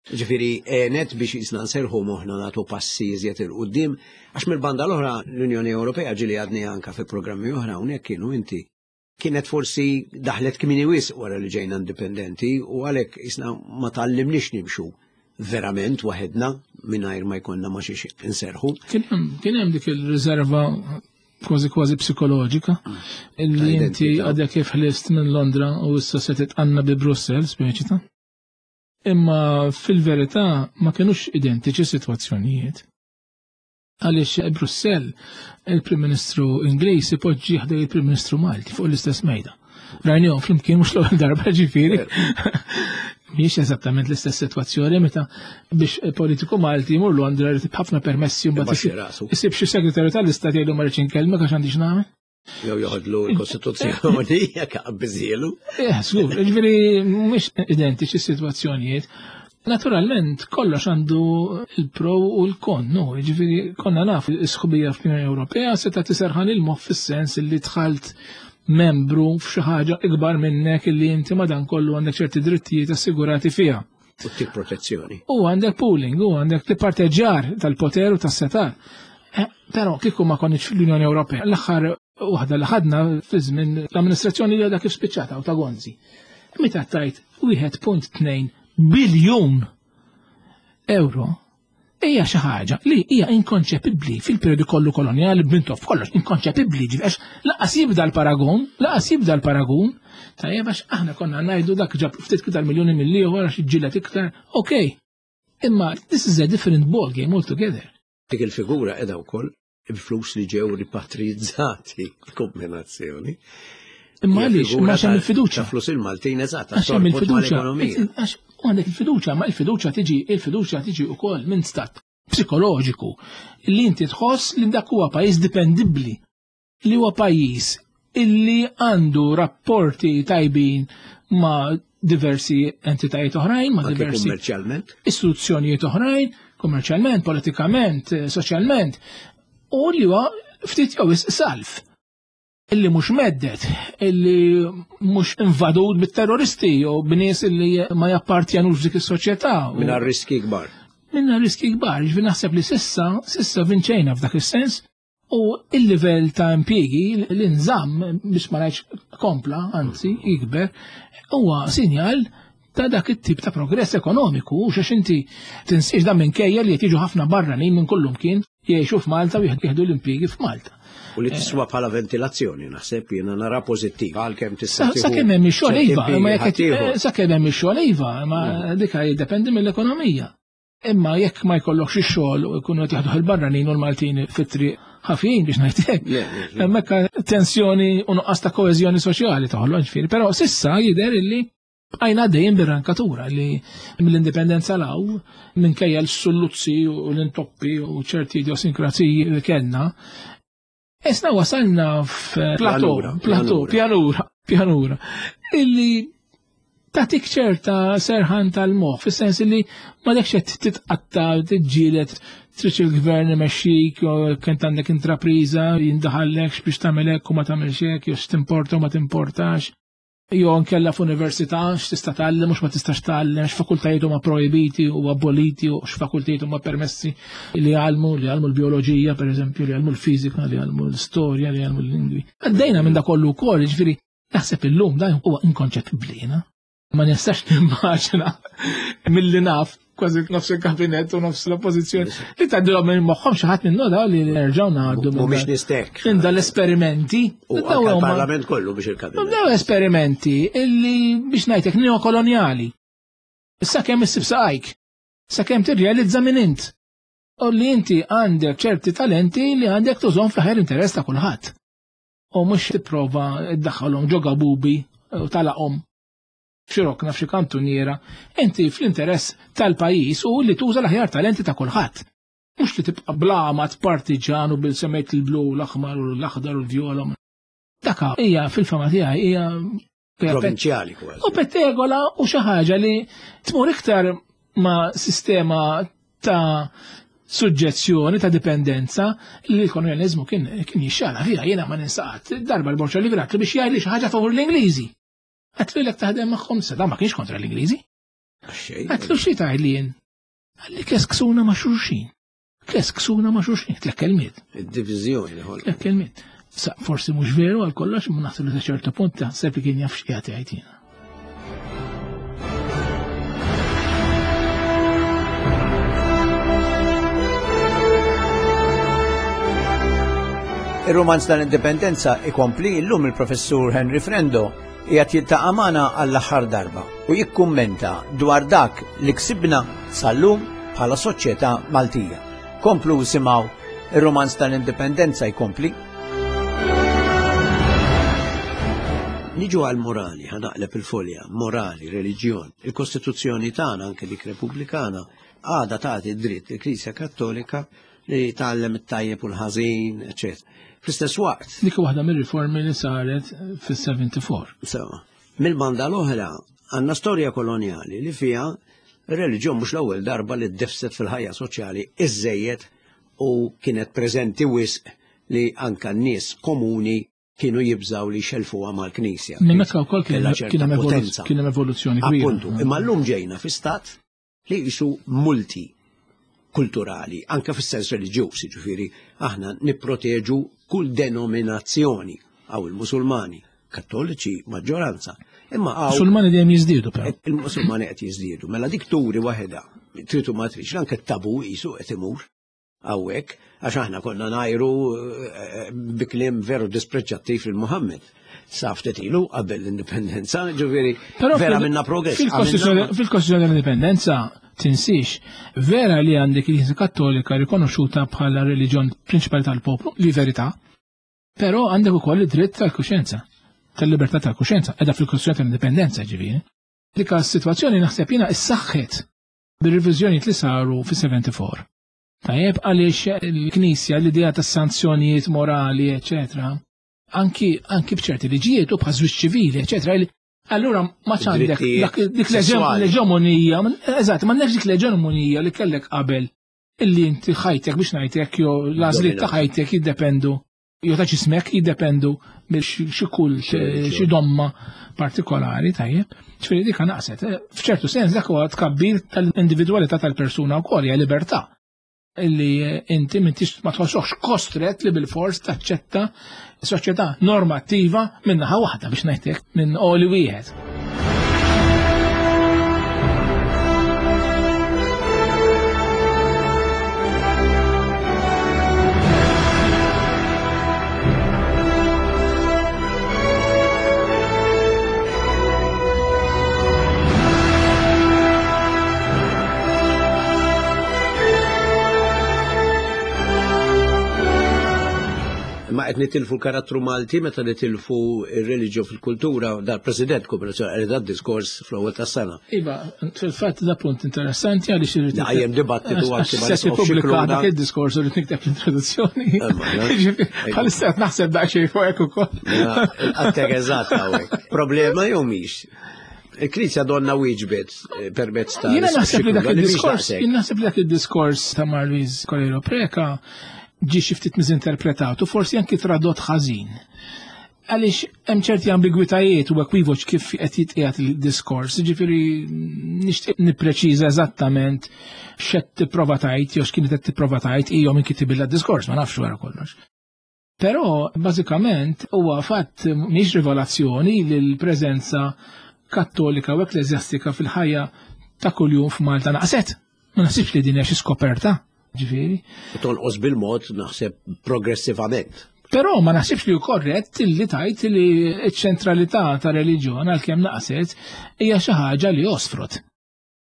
S1: Ġifieri għenet biex jisna nserħu moħħna nagħtu passi iżjed 'il quddiem għax mill-banda l-oħra l-Unjoni Ewropea ġieli għadni anka fi programmi oħra hawnhekk kienu inti kienet forsi daħlet kmini wisq wara li ġejna indipendenti u għalhekk jisna ma tgħallimniex nimxu verament waħedna mingħajr ma jkollna ma xiex inserħu.
S2: Kien hemm dik il-riserva kważi kważi psikoloġika illi inti għadek kif ħlist minn Londra u issa se titqanna bi Brussel, speċi ta' Imma fil-verità ma kinux identiċi sitwazzjonijiet. Għaliex Brussell il-Prim Ministru Ingliż ipoġġi ħdej il-Prim Ministru Malti fuq l-istess mejda. Rajnihom flimkien mhux l-ewwel darba ġifieri. Mhix eżattament l-istess sitwazzjoni meta biex politiku Malti jmur Londra jrid ħafna permessi mbagħad isib xi segretarju tal-istat jgħidu ma rridx inkellmek għax għandi x'nagħmel.
S1: Jew joħodlu l-Kostituzzjoni jekk qabbiżielu.
S2: Eh, żgur, ġifieri mhux identiċi s-sitwazzjonijiet. Naturalment, kollox għandu il-pro u l-kon, no, ġifieri konna naf is-sħubija fl-Unjoni Ewropea seta' tiserħan il-moħħ fis-sens li dħalt membru f'xi ħaġa ikbar minnek illi inti madankollu għandek ċerti drittijiet assigurati fiha.
S1: U tip protezzjoni.
S2: U għandek pooling, u għandek li-parteġġar tal-poter u tas-setar. Eh, però kieku ma konniex fl-Unjoni Ewropea, l-aħħar waħda li ħadna fi żmien l-amministrazzjoni li għadha kif spiċċata u ta' Gonzi. Meta tajt 1.2 biljun euro hija xi ħaġa li hija inkonċepibbli fil-perjodu kollu kolonjali b'Mintoff kollox inkonċepibbli għax laqas jibda l-paragun, laqas jibda l-paragun, tajjeb għax aħna konna ngħidu dak ġab ftit iktar miljuni mill-ieħor għax iġġieled iktar, okej. Imma this is a different ball game altogether.
S1: Dik il-figura qiegħda wkoll il-flus li ġew ripatrizzati kombinazzjoni.
S2: Imma għaliex, imma għax hemm il-fiduċja.
S1: Flus il-Maltin eżatt,
S2: għax hemm il-fiduċja. Għax għandek il-fiduċja, ma il-fiduċja tiġi, il-fiduċja tiġi wkoll minn stat psikoloġiku li inti tħoss li dak huwa pajjiż dipendibbli, li huwa pajjiż illi għandu rapporti tajbin ma' diversi entitajiet oħrajn, ma' diversi
S1: kummerċjalment,
S2: istituzzjonijiet oħrajn, kummerċjalment, politikament, eh, soċjalment, u li huwa ftit jew salf illi mhux meddet, illi mhux invadut bit-terroristi jew b'nies illi ma jappartjanux f'dik is-soċjetà.
S1: Minna riski kbar.
S2: Minna riski kbar, ġifieri naħseb li sissa, sissa vinċejna f'dak is-sens, U il-livell ta' impjiegi li nżamm biex ma ngħidx kompla, anzi jikber, huwa sinjal ta' dak it-tip ta' progress ekonomiku, u xax inti tinsiex dan minkejja li qed jiġu ħafna barranin minn kullum kien jgħixu f'Malta u jieħdu l-impjiegi f'Malta.
S1: U li tiswa bħala ventilazzjoni, naħseb jiena nara pożittiv għalkemm tista'
S2: Sakemm hemm ix-xogħol iva, ma jekk sakemm hemm ix-xogħol iva, ma mm. dika jiddependi mill-ekonomija. Imma jekk ma jkollokx ix-xogħol u jkunu qed jaħduh il-barranin u l-Maltin fit-triq. ħafjin biex ngħidlek. Hemmhekk tensjoni u nuqqas ta' koeżjoni soċjali toħloq ġifieri, però sissa jidher illi bqajna dejjem bir-rankatura li mill-indipendenza law minkejja l-sulluzzi u l-intoppi u ċerti idiosinkraziji li kellna. Isna wasalna f'plateau, plateau, pjanura, pjanura, illi tatik ċerta serħan tal-moħ, fis-sens li ma dekx qed titqatta, tiġġieled, trid il-gvern imexxik, kent għandek intrapriża, jindaħallek biex tagħmel hekk u ma tagħmilx hekk, jew x'timporta u ma timportax. Jew nkella f'università x'tista' tgħallem u x'ma tistax tgħallem, x'fakultajiet huma projbiti u aboliti u x'fakultajiet huma permessi li jgħallmu, li jgħallmu l-bioloġija pereżempju, li jgħallmu l-fiżika, li jgħallmu l-istorja, li jgħallmu l-lingwi. Għaddejna minn da kollu wkoll, jiġifieri naħseb illum dan huwa inkonċepibbli jiena. Ma nistax nimmaġina milli naf kważi nofs il-kabinet u nofs l-oppożizzjoni li tgħaddilhom minn moħħhom xi ħadd minnu daw li nerġgħu ngħaddu.
S1: Mhumiex nistek.
S2: Minn dal-esperimenti.
S1: U il-parlament kollu biex il-kabinet.
S2: Daw esperimenti illi biex ngħidlek neokolonjali. Issa kemm issib saqajk, sa kemm tirrealizza minn int. U li inti għandek ċerti talenti li għandek tużhom fl-aħjar interess ta' kulħadd. U mhux tipprova ddaħħalhom ġo gabubi u talaqhom f'xi rokna f'xi kantuniera, inti fl-interess tal-pajjiż u li tuża l-aħjar talenti ta' kulħadd. Mhux li tibqa' bl-għamad partiġan u bil-semmejt il-blu l-aħmar u l-aħdar u l-vjola. Daka hija fil-fama tiegħi hija
S1: provinċjali kważi.
S2: U pettegola u xi ħaġa li tmur iktar ma' sistema ta' suġġezzjoni ta' dipendenza li l-kolonializmu kien kien jixxala fiha jiena ma ninsaqat. Darba l-Borċa li biex jgħid li xi ħaġa favur l-Ingliżi. Għatlu l taħdem magħhom sa ma kienx kontra l-Ingliżi. Għatlu xi tgħid li jien. Għalli kesksuna ma' xulxin. Kesksuna ma' xulxin, tlek kelmiet.
S1: Id-diviżjoni
S2: Tlek kelmiet. Sa forsi mhux veru għal kollox, ma naħseb li sa ċertu punt taħseb li kien jaf x'qiegħed jgħid jiena.
S1: Ir-rumanz tal-Indipendenza ikompli illum il-Professur Henry Frendo qiegħed jiltaqa' magħna għall-aħħar darba u jikkummenta dwar dak li ksibna sal-lum bħala soċjetà Maltija. Komplu simgħu ir-rumanz tal-Indipendenza jkompli. Niġu għal morali, ħanaqleb il-folja, morali, reliġjon. Il-Kostituzzjoni tagħna anke dik Repubblikana għadha tagħti dritt il-Knisja Kattolika li tgħallem it-tajjeb u l-ħażin, eċetera. Fl-istess waqt.
S2: Dik waħda mir-riformi li saret fis-74.
S1: Sewa. Mill-banda l-oħra għandna storja kolonjali li fiha ir-reliġjon mhux l-ewwel darba li ddefset fil-ħajja soċjali iżżejjed u kienet preżenti wisq li anka n-nies komuni kienu jibżaw li xelfuha mal-Knisja.
S2: Minn meta wkoll kien hemm evoluzzjoni kbira.
S1: Appuntu, imma llum ġejna fi stat li jisu multi kulturali, anka fis-sens reliġjuż, jiġifieri aħna nipproteġu kull denominazzjoni għaw il-Musulmani, Kattoliċi maġġoranza. Imma
S2: għaw. Musulmani dejjem jiżdiedu
S1: però. Il-Musulmani qed jiżdiedu. Mela dik turi waħedha, tritu ma tridx, anke t-tabu jisu qed imur hawnhekk għax aħna konna ngħajru eh, bi kliem veru dispreġġattiv lil Muhammad. Sa ftit ilu qabel l-indipendenza, ġifieri vera minna progress.
S2: Fil-Kostituzzjoni tal-Indipendenza tinsiex, vera li għandek il-Knisja Kattolika rikonoxxuta bħala reliġjon prinċipali tal-poplu, li verità, però għandek ukoll id-dritt tal-kuxjenza, tal-libertà tal-kuxjenza, edha fil-Kostituzzjoni tal-Indipendenza ġifieri. Dik is-sitwazzjoni naħseb jiena issaħħet bir-reviżjonijiet li saru fis-74. Tajjeb għaliex il-Knisja l-idea tas sanzjonijiet morali, eċetera, anki anki b'ċerti liġijiet u bħal żwieġ ċivili, eċetera, allura ma għandek dik l-eġemonija, eżatt, ma dik l-eġemonija li kellek qabel illi inti ħajtek biex ngħidlek jew l-għażliet ta' ħajtek jiddependu jew ta' ġismek jiddependu mill xi kull xi domma partikolari tajjeb. Ġifieri dik naqset. Eh, f'ċertu sens dak huwa tkabbir tal-individwalità tal-persuna wkoll hija libertà illi eh, inti m'intix ma tħossokx kostret li bil-fors taċċetta soċjetà normattiva minn naħa waħda biex ngħidlek minn oli wieħed.
S1: Qed nitilfu l-karattru Malti meta nitilfu ir-reliġjon fil-kultura dal-President Kooperazzjoni qed diskors fl-ewwel tas-sena.
S2: Iva, fil-fatt da punt interessanti għaliex irid
S1: Dajjem dibattitu anki
S2: ma se tippubblika dak id-diskors u rrid nikteb l-introduzzjoni. Bħalissa qed naħseb daqsxejn fuq hekk ukoll.
S1: Għattek eżatt hawnhekk. Problema jew mhix? Il-Knisja donna wieġbet eh, permezz ta'
S2: Jiena naħseb li dak id-diskors, jien naħseb li dak id-diskors ta' Marlies Coelho Preka ġie xi ftit miżinterpretat u forsi anki tradott ħażin. Għaliex hemm ċerti ambigwitajiet u ekwivoċ kif qed jitqiegħed il-diskors, jiġifieri nixtieq nippreċiża eżattament x'qed tipprova tgħid jew x'kienet qed tipprova tgħid jew min kitibilla d-diskors, ma nafx wara kollox. Però bażikament huwa fatt mhix rivelazzjoni li l-preżenza kattolika u ekkleżjastika fil-ħajja ta' kuljum f'Malta naqset. Ma naħsibx li din hija xi skoperta, ġifieri.
S1: Tonqos bil-mod naħseb progressivament.
S2: Però ma naħsibx li hu korrett li tajt li ċ-ċentralità ta' reliġjon għalkemm naqset hija xi ħaġa li osfrot.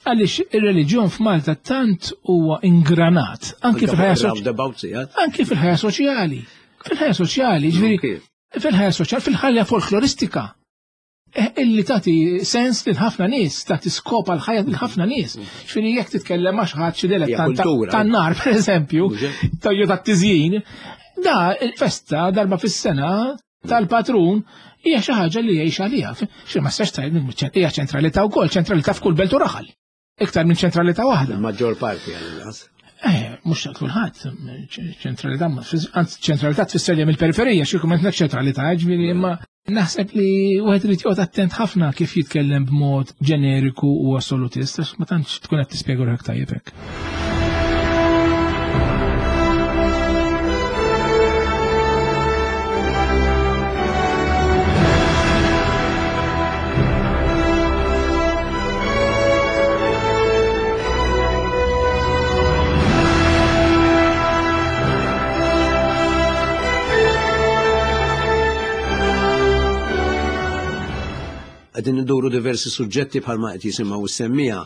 S2: Għaliex ir-reliġjon f'Malta tant huwa ingranat, anki fil-ħajja soċjali. Anki fil-ħajja soċjali. Fil-ħajja soċjali, ġifieri, fil-ħajja soċjali, fil-ħajja folkloristika. Eh, illi tagħti sens lil ħafna nies, tagħti skop għal ħajja lil ħafna nies. Ġifieri jekk titkellem ma' xi ħadd xi dilettant tan-nar pereżempju, jew tat-tiżjin, da il-festa darba fis-sena tal-patrun hija xi ħaġa li jgħix għaliha. Xi ma stax tgħid hija ċentralità wkoll, ċentralità f'kull belt u raħal. Iktar minn ċentralità waħda.
S1: Il-maġġor parti għal-inqas.
S2: Eh, mhux ta' kulħadd, ċentralità, anzi ċentralità tfisser li mill-periferija, xi kumment ċentralità, ġifieri imma naħseb li wieħed irid joqgħod attent ħafna kif jitkellem b'mod ġeneriku u assolutist, għax ma tantx tkun qed tispjega ruħek tajjeb hekk.
S1: Qegħdin induru diversi suġġetti bħalma qed jisimgħu s-semmija.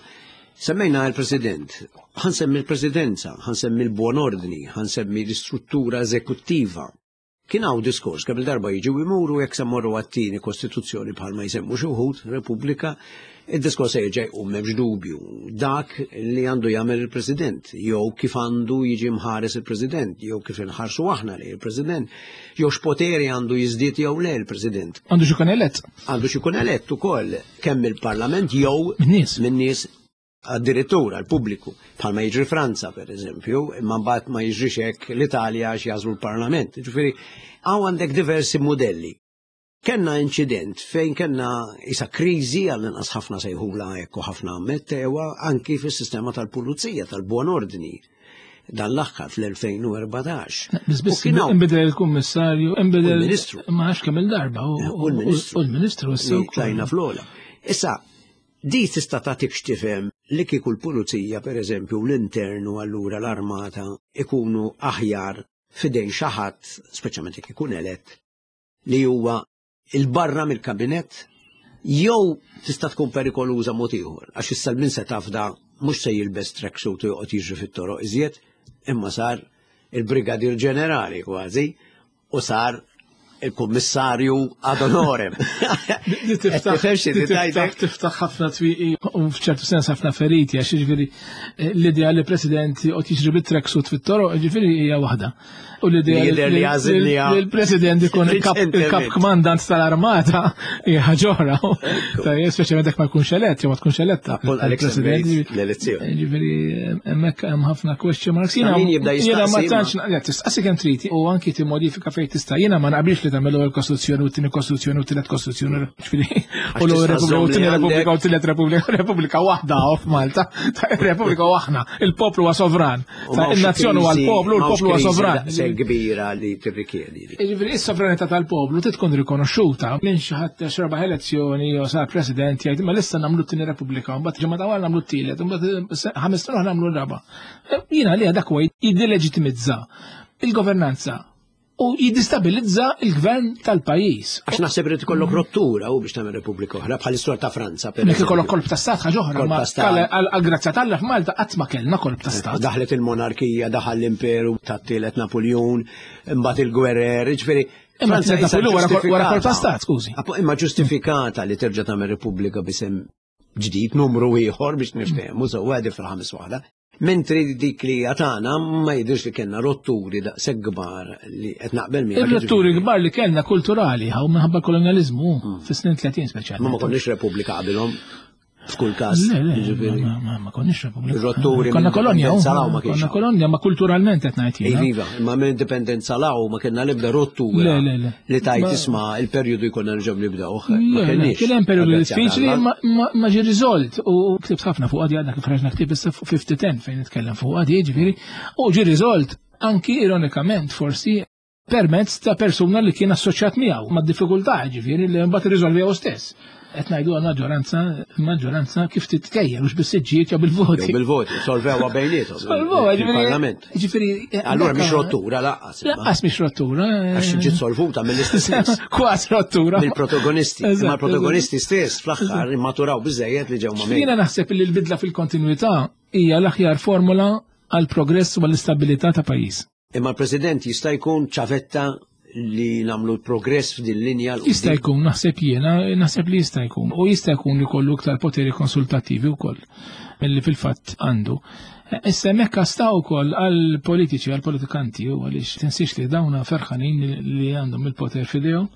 S1: Semmejna l-President, ħansemmi l-Presidenza, ħansemmi l-buon ordni, ħansemmi l-istruttura eżekuttiva. Kien hawn diskors kemm il-darba jiġu jmuru jekk se mmorru għat-tieni kostituzzjoni bħalma jsemmu xi wħud, Repubblika, id-diskors se jerġa' jqum m'hemmx dubju. Dak li għandu jagħmel il-President, jew kif għandu jiġi mħares il-President, jew kif inħarsu aħna lejn il-President, jew x'poteri għandu jiżdied jew le il-President.
S2: Għandu xi jkun elett.
S1: Għandu xi jkun elett ukoll kemm il-Parlament jew
S2: min-nies.
S1: Min-nies addirittura l-pubbliku, bħalma jiġri Franza per eżempju, imma mbagħad ma jiġrix hekk l-Italja għax jażlu l-Parlament. Ġifieri hawn għandek diversi modelli. Kenna inċident fejn kenna isa kriżi għal inqas ħafna sejħula hekk u ħafna ammettewa anki fis-sistema tal-pulizija tal-buon ordni dan l-aħħar fl-2014.
S2: Biss biss inbidel il-kummissarju, inbidel
S1: il-ministru.
S2: Ma nafx kemm il-darba
S1: u l-ministru.
S2: U l-ministru
S1: issa. Tlajna fl-ola. Issa, Di tista' tagħtik x'tifhem li kieku l-pulizija pereżempju u l-intern u allura l-armata ikunu aħjar f'idejn xi ħadd, speċjalment jekk ikun elett, li huwa 'il barra mill-kabinett jew tista' tkun perikoluża mod ieħor għax issa min se tafda mhux se jilbes tracksuit u joqgħod jiġri fit-toroq iżjed imma sar il-Brigadier Ġenerali kważi u sar il-kummissarju ad honorem.
S2: Tiftaħ ħafna twieqi u f'ċertu sens ħafna feriti għax jiġifieri eh, l-idea li president qed jiġri bit-tracksuit fit-toroq jiġifieri hija waħda. U l-idea li l-president ikun il-kap kmandant tal-armata hija ħaġa oħra. Speċjalment jekk ma jkunx elett jew ma tkunx eletta.
S1: Il-president l-elezzjoni.
S2: Jiġifieri hemmhekk hemm ħafna question marks. Jiena ma tantx tistaqsi kemm trid u anki timmodifika fejn tista'. Jiena ma naqbilx li tagħmel l-ewwel kostituzzjoni u t-tieni kostituzzjoni u t-tielet kostituzzjoni, ġifieri u l-ewwel repubblika u t-tieni repubblika u t-tielet repubblika, repubblika waħda f'Malta, repubblika waħna, il-poplu huwa sovran. Il-nazzjon huwa l-poplu, l-poplu huwa sovran.
S1: Se kbira li tirrikjedi.
S2: Jiġifieri is-sovranità tal-poplu trid tkun rikonoxxuta minn xi ħadd xraba elezzjoni jew sar president jgħid ma lissa nagħmlu t-tieni repubblika, mbagħad ġimgħa ta' wara nagħmlu t-tielet, mbagħad ħames snin oħra nagħmlu r-raba'. Jiena li dak huwa jiddileġitimizza il-governanza u jiddistabilizza il-gvern tal-pajjiż.
S1: Għax naħseb irid ikollok rottura u biex tagħmel Repubblika oħra bħal istorja ta' Franza.
S2: Nek ikollok kolb ta' stat ħaġa oħra, ma għal-grazzja tal f'Malta qatt ma kellna kolb ta' stat.
S1: Daħlet il-monarkija, daħal l-imperu tat-tielet Napoleon, imbagħad il-gwerer, ġifieri.
S2: Imma Franza wara kolpa stat, skużi.
S1: Imma ġustifikata li terġa' tagħmel Repubblika bisem ġdid numru ieħor biex niftehmu sewwa fil-ħames waħda. Mentri dik li għatana ma jidhirx li kellna rotturi daqshekk kbar li qed naqbel miegħek.
S2: Ir-rotturi kbar li kellna kulturali ħaw minħabba kolonjaliżmu hmm. fis-snin 30 speċjalment.
S1: Ma ma konniex repubblika qabilhom f'kull każ.
S2: Le, le, ma konniex repubblika.
S1: Ir-rotturi
S2: konna kolonja, konna kolonja, ma kulturalment qed ngħid
S1: jiena. Iva, imma minn indipendenza law ma kellna l-ebda rottura.
S2: Le, le, le.
S1: Li tajt isma' il-perjodu jkollna nerġgħu nibdewh.
S2: Ma kenniex. Kien hemm perjodu diffiċli ma ġie riżolt u ktibt ħafna fuq għadi għadna kif ħraġna ktieb issa fuq 50-10 fejn nitkellem fuq għadi jiġifieri u ġie riżolt anki ironikament forsi permezz ta' persuna li kien assoċjat miegħu ma' diffikultà ġifieri li mbagħad irriżolvi stess. Qed ngħidu għal maġġoranza, maġġoranza kif titkejjel mhux bis-siġġijiet jew bil-voti.
S1: Jew bil-voti, solvewha bejniethom.
S2: Solvewha
S1: ġifieri.
S2: Ġifieri.
S1: Eh, Allura mhix rottura laqqas.
S2: Laqqas mhix rottura.
S1: Eh. Għax ġiet solvuta mill-istess nies.
S2: Kważi rottura.
S1: Mill-protagonisti. Ma l-protagonisti stess fl-aħħar immaturaw biżejjed li ġew ma'
S2: Jiena naħseb li l-bidla fil-kontinwità hija l-aħjar formula għal progress u għall-istabilità ta' pajjiż.
S1: Imma l-President jista' jkun ċavetta li namlu progress f'din linja.
S2: Jista' jkun, naħseb jiena, naħseb li jista' jkun. U jista' jkun li kollu iktar poteri konsultattivi wkoll milli fil-fatt għandu. Issa hemmhekk sta wkoll għal politiċi, għal politikanti, u għaliex tinsiex li dawna ferħanin li għandhom il-poter f'idejhom.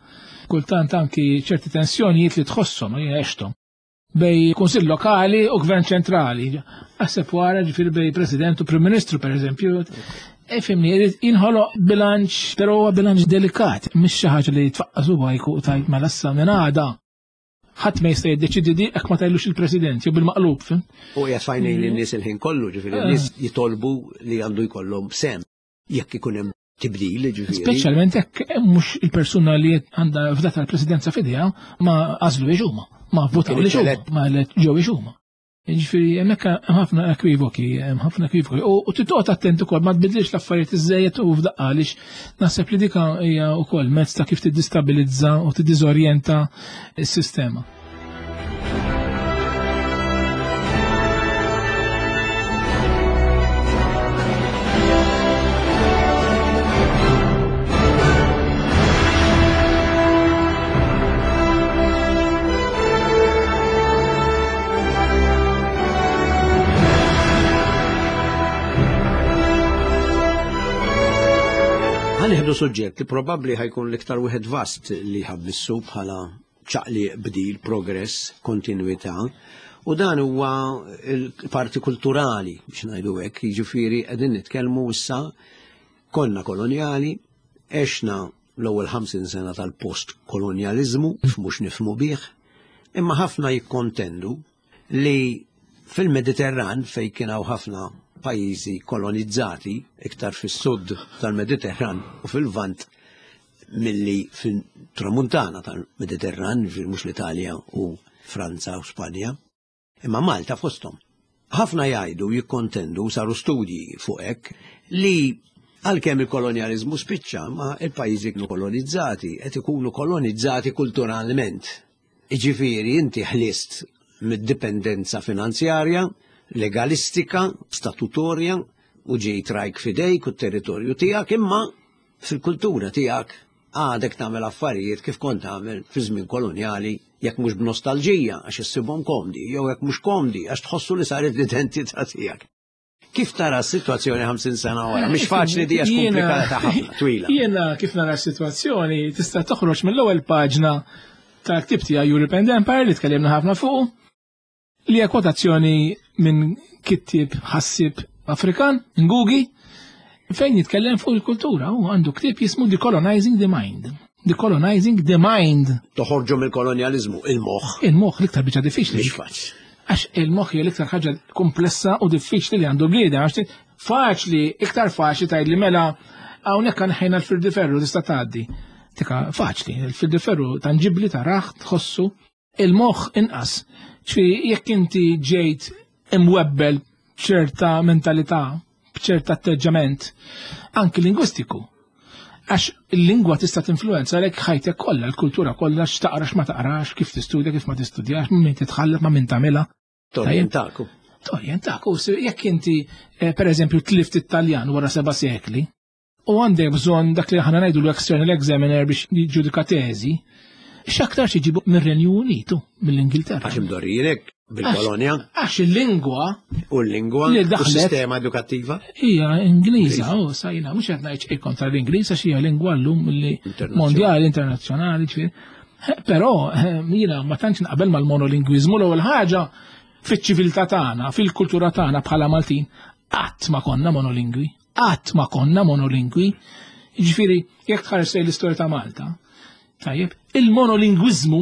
S2: Kultant anki ċerti tensjonijiet li tħosshom, għexthom bej kunsill lokali u gvern ċentrali. Aħseb wara ġifieri bej president u prim ministru per eżempju. Ifimni, jinħoloq bilanċ, però huwa bilanċ delikat, mhix xi ħaġa li tfaqqas huwa jkun tajt mela issa minn għada. Ħadd ma jista' jiddeċidi di hekk ma tajlux il-President jew bil-maqlub.
S1: U qiegħed fajnejn in-nies il-ħin kollu, ġifieri n-nies eh. jitolbu li għandu jkollhom sem jekk ikun hemm tibdil, ġifieri.
S2: Speċjalment hekk eh, mhux il-persuna li għandha fdata l-presidenza fidejha ma għażlu huma, ma votaw li huma, ma ġew huma. Ġifieri hemmhekk hemm ħafna ekwivoki, hemm ħafna ekwivoki. U titqgħod attent ukoll ma tbidlix l-affarijiet iżejjed u f'daqqa għaliex naħseb li dika hija wkoll mezz ta' kif tiddistabilizza u tiddiżorjenta s-sistema.
S1: Ħanieħdu suġġett li probabbli ħajkun l-iktar wieħed vast li ħabmissu bħala ċaqliq, bdil, progress, kontinwità, u dan huwa l-parti kulturali biex ngħidu hekk, jiġifieri qegħdin nitkellmu issa konna kolonjali, għexna l-ewwel 50 sena tal-post kolonjaliżmu, mhux nifhmu bih, imma ħafna jikkontendu li fil-Mediterran fejn kien hawn ħafna pajjiżi kolonizzati iktar fis-sud tal-Mediterran u fil-Lvant milli fil-tramuntana tal-Mediterran, ġifieri mhux l-Italja u Franza u Spanja, imma Malta fosthom. Ħafna jgħidu jikkontendu saru studji fuq hekk li għalkemm il-kolonjaliżmu spiċċa ma il-pajjiżi kienu kolonizzati qed ikunu kolonizzati kulturalment. Jiġifieri inti ħlist mid-dipendenza finanzjarja, legalistika, statutorja u ġejt rajk f'idejk u t-territorju tiegħek imma fil-kultura tiegħek għadek tagħmel affarijiet kif kont tagħmel fi żmien kolonjali jekk mhux b'nostalġija għax issibhom komdi jew jekk mhux komdi għax tħossu li saret l-identità tiegħek. Kif tara s-sitwazzjoni 50 sena wara? Mhix faċli di għax komplikata ħafna, twila.
S2: Jiena kif nara s-sitwazzjoni tista' toħroġ mill-ewwel paġna tal-ktib tiegħi Europe and Empire li tkellimna ħafna fuq li hija kwotazzjoni minn kittieb ħassieb Afrikan, Ngugi, fejn jitkellem fuq il-kultura u għandu ktieb jismu Decolonizing the Mind. Decolonizing the Mind.
S1: Toħorġu mill-kolonjaliżmu, il-moħħ.
S2: Il-moħħ l-iktar biċċa diffiċli.
S1: Mhix faċli.
S2: Għax il-moħħ hija l-iktar ħaġa komplessa u diffiċli li għandu bniedem, għax faċli, iktar faċli tgħid li mela hawnhekk ħajna l-firdi ferru tista' tgħaddi. Tika faċli, il-firdi ferru tanġibli taraħ, tħossu, il-moħħ inqas. Ċfi jekk inti ġejt imwebbel b'ċerta mentalità, b'ċerta atteġġament, anki lingwistiku. Għax il-lingwa tista' tinfluenza lek ħajtek kollha, l-kultura kollha, x'taqra x'ma taqrax, kif tistudja, kif ma tistudjax, minn min titħallet, ma' min tagħmilha.
S1: Torjentaku.
S2: Torjentaku, jekk inti eh, per eżempju tlift it-Taljan wara seba' sekli. U għandek bżonn dak li aħna ngħidu l-external examiner biex jiġġudika teżi, x'aktar iġibu mir-Renju Unitu, mill-Ingilterra.
S1: Għax imdorrijin bil-kolonja.
S2: Għax il-lingwa.
S1: U l-lingwa. Li daħlet. Sistema edukattiva.
S2: Hija Ingliża, u sajna, mhux qed ngħid xejn kontra l-Ingliż għax hija lingwa llum li mondjali, internazzjonali, ġifieri. Però jiena ma tantx naqbel mal-monolingwiżmu l-ewwel ħaġa fiċ-ċiviltà tagħna, fil-kultura tagħna bħala Maltin, qatt ma konna monolingwi. Qatt ma konna monolingwi. Ġifieri, jekk tħares lejn l-istorja ta' Malta, tajjeb, il-monolingwiżmu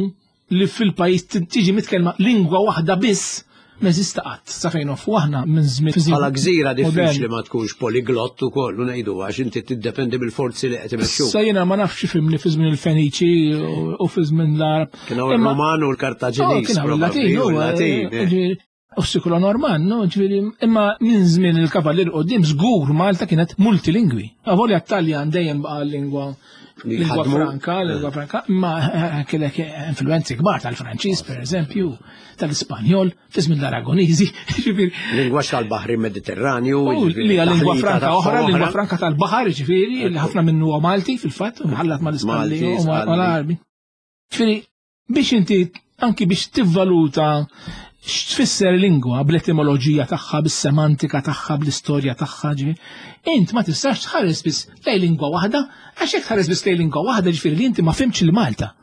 S2: li fil-pajjiż tiġi mitkellma lingwa waħda biss ma jeżista qatt sa fejn nofu aħna minn żmien.
S1: Bħala gżira diffiċli ma tkunx poliglott ukoll u ngħidu għax inti tiddependi mill-forzi li qed imexxu.
S2: Sa jiena ma nafx fimni fi żmien il-Feniċi u fi żmien l-Arab.
S1: Kienu r-Roman u l-Kartaġiniż.
S2: Kienu l-Latin u l-Latin. Eh. U s-sikula Norman, no, ġifieri, imma minn żmien il-kavallier qudiem żgur Malta kienet multilingwi. Avolja t-Taljan dejjem baqa' lingwa lingwa franka, lingwa franka, imma eh, kellek influenzi kbar tal-Franċiż, per eżempju, tal-Ispanjol, fi żmien l-Aragoniżi,
S1: ġifieri. Lingwaġġ tal-Baħri Mediterranju.
S2: Li hija lingwa franka oħra, lingwa franka tal-baħar, ġifieri, li ħafna minnu huwa Malti fil-fatt, mħallat mal-Ispanjol u mal-Arbi. Ġifieri, biex inti anki biex tivvaluta x'tfisser lingwa bl-etimoloġija tagħha, bis-semantika tagħha, bl-istorja tagħha, ġifieri, int ma tistax tħares biss lej lingwa waħda, għax jekk tħares biss lej lingwa waħda ġifieri li inti ma fimtx il Malta.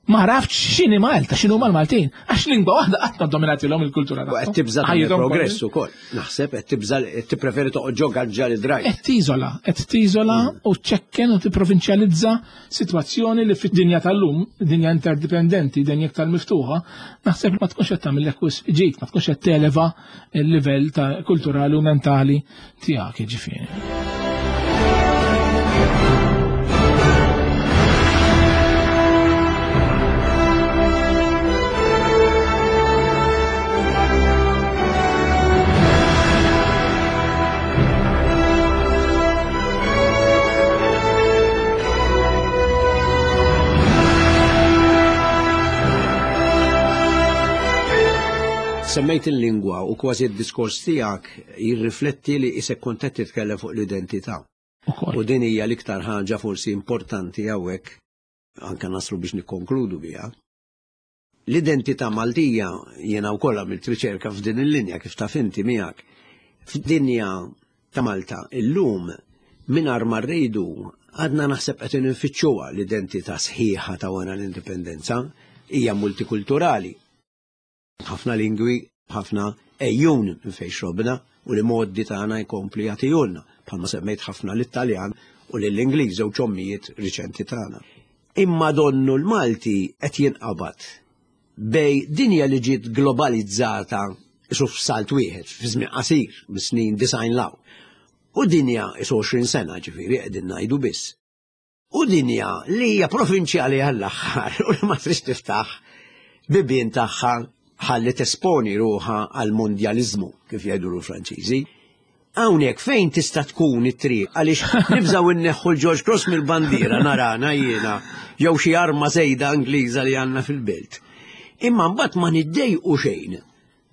S2: Ma għaraftx x'inhi Malta, x'inhu mal-Maltin, għax lingwa waħda qatt ma dominatilhom il-kultura
S1: tagħhom. Qed tibża' progress ukoll. Naħseb qed tibża' tippreferi toqgħod ġo gaġġa li drajt.
S2: Qed tiżola, qed tiżola mm. u ċekken u tipprovinċjalizza sitwazzjoni li fid-dinja tal-lum, dinja interdipendenti, dinja iktar miftuħa, naħseb ma tkunx qed tagħmillek wisq ġid, ma tkunx qed televa l-livell ta' kulturali u mentali tiegħek jiġifieri.
S1: Semmejt il-lingwa u kważi d-diskors tiegħek jirrifletti li isek kont qed titkellem fuq l-identità. U din hija l-iktar ħaġa forsi importanti hawnhekk anke naslu biex nikkonkludu biha. L-identità Maltija, jiena wkoll għamilt riċerka f'din il-linja kif taf inti miegħek. F'dinja ta' Malta illum mingħajr ma rridu għadna naħseb qed infittxuha l-identità sħiħa ta' wara l-indipendenza hija multikulturali. Ħafna lingwi, ħafna ejjun minn fejn xrobna u li moddi tagħna jkompli jagħtihulna, bħalma semmejt ħafna lit-Taljan u lill-Ingliż żewġ ommijiet riċenti tagħna. Imma donnu l-Malti qed jinqabad bej dinja li ġiet globalizzata isu f'salt wieħed fi żmien qasir mis-snin 90 law. U dinja isu 20 sena ġifieri qegħdin ngħidu biss. U dinja li hija provinċjali għall-aħħar u li ma trix tiftaħ bibien tagħha ħalli tesponi ruħha għal mondjaliżmu kif jgħidu l-Franċiżi. Hawnhekk fejn tista' tkun it-triq għaliex nibżgħu inneħħu l-George Cross mill-bandiera narana jiena jew xi arma żejda Ingliża li għandna fil-belt. Imma mbagħad ma niddejqu xejn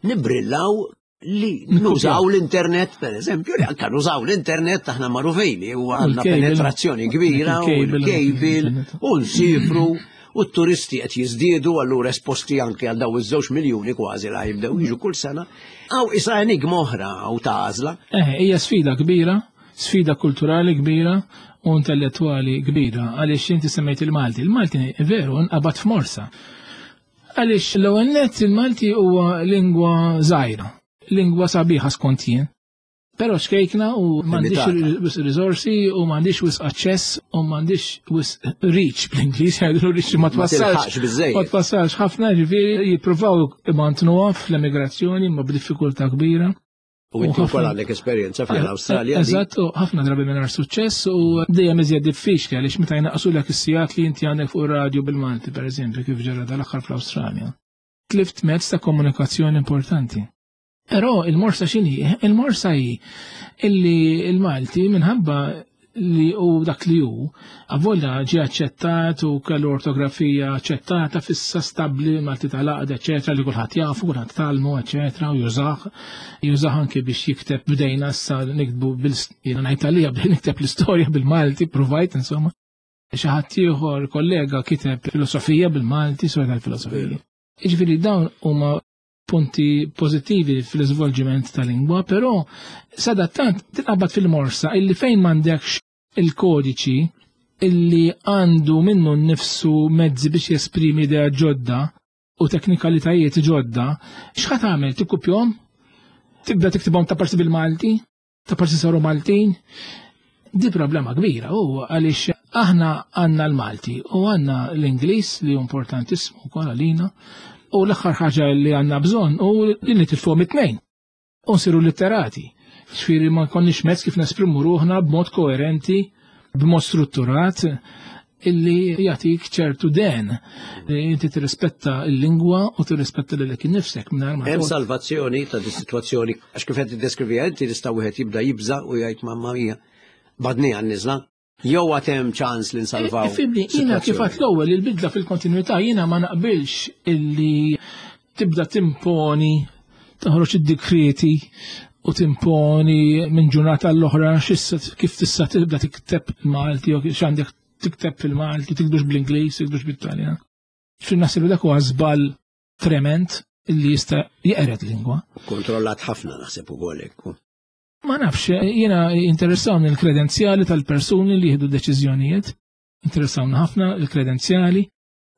S1: nibrillaw li nużaw l-internet, per eżempju, li anka nużaw l-internet aħna magħrufin li huwa għandna penetrazzjoni kbira u l-cable u nsifru u t-turisti qed jiżdiedu allura esposti anke għal daw iż-żewġ miljuni kważi la jibdew jiġu kull sena. Aw isa enigma oħra u ta' għażla.
S2: Eh, hija sfida kbira, sfida kulturali kbira u intellettwali kbira għaliex inti semmejt il-Malti. Il-Malti veru nqabad f'morsa. Għaliex l-ewwel nett il-Malti huwa lingwa żgħira, lingwa sabiħa skont jien. Però xkejkna u m'għandix riżorsi u m'għandix wisq aċċess u m'għandix wisq reach bl-Ingliż jgħidu reach ma twassalx. Ma twassalx ħafna ġifieri jippruvaw imantnuha fl-emigrazzjoni ma b'diffikultà kbira.
S1: U inti wkoll għandek esperjenza fl-Awstralja.
S2: Eżatt, u ħafna drabi mingħajr suċċess u dejjem iżjed diffiċli għaliex meta jnaqsulek is-sigħat li inti għandek fuq ir-radju bil-Malti pereżempju kif ġara dal-aħħar fl-Awstralja. Tlift mezz ta' komunikazzjoni importanti. Però il-morsa x'inhi? Il-morsa hi illi il-Malti minħabba li hu dak li hu, avolja ġie aċċettat u kellu ortografija aċċettata fissa stabbli Malti tal-għaqda, eċetera, li kulħadd jafu, kulħadd talmu, eċetera, u jużah, jużah anke biex jikteb bdejna issa niktbu bil jiena ngħid għalija bdejna nikteb l-istorja bil-Malti, provajt insomma. Xi ħadd ieħor kollega kiteb filosofija bil-Malti, storja tal-filosofija. Jiġifieri dawn huma punti pożittivi fl-iżvolġiment ta' lingwa, però sadattant tinqabad fil-morsa illi fejn m'għandekx il-kodiċi illi għandu minnu nnifsu mezzi biex jesprimi idea ġodda u teknikalitajiet ġodda, x'ħa tagħmel? Tikkupjhom? Tibda tiktibhom ta' parsi bil-Malti? Ta' parsi saru Maltin? Di problema kbira u għaliex aħna għandna l-Malti u għandna l-Ingliż li hu importantissimu wkoll għalina u l-aħħar ħaġa li għandna bżonn u li nitilfuhom it-tnejn u nsiru litterati. Ġifieri ma nkollniex mezz kif nesprimu ruħna b'mod koerenti, b'mod strutturat illi jagħtik ċertu den li inti tirrispetta l-lingwa u tirrispetta lilek innifsek mingħajr ma
S1: Hemm salvazzjoni ta' dis-sitwazzjoni għax kif qed tiddeskriviha inti tista' wieħed jibda jibża' u jgħid mamma mia badni għan-niżla. Jew għad hemm ċans li nsalvaw.
S2: Ifhimni, jiena kif għedt l-ewwel il-bidla fil-kontinwità jiena ma naqbilx illi tibda timponi toħroġ id-dikrieti u timponi minn ġurnata l-oħra x'issa kif tista' tibda tikteb il-Malti jew x'għandek tikteb fil-Malti, tiktbux bl-Ingliż, tiktbux bit-Taljan. Fil naħseb dak huwa żball trement illi jista' jeqred lingwa.
S1: Kontrollat ħafna naħseb ukoll hekk.
S2: Ma nafx, jiena interessawni l-kredenzjali tal-persuni li jieħdu deċiżjonijiet, interessawni ħafna l-kredenzjali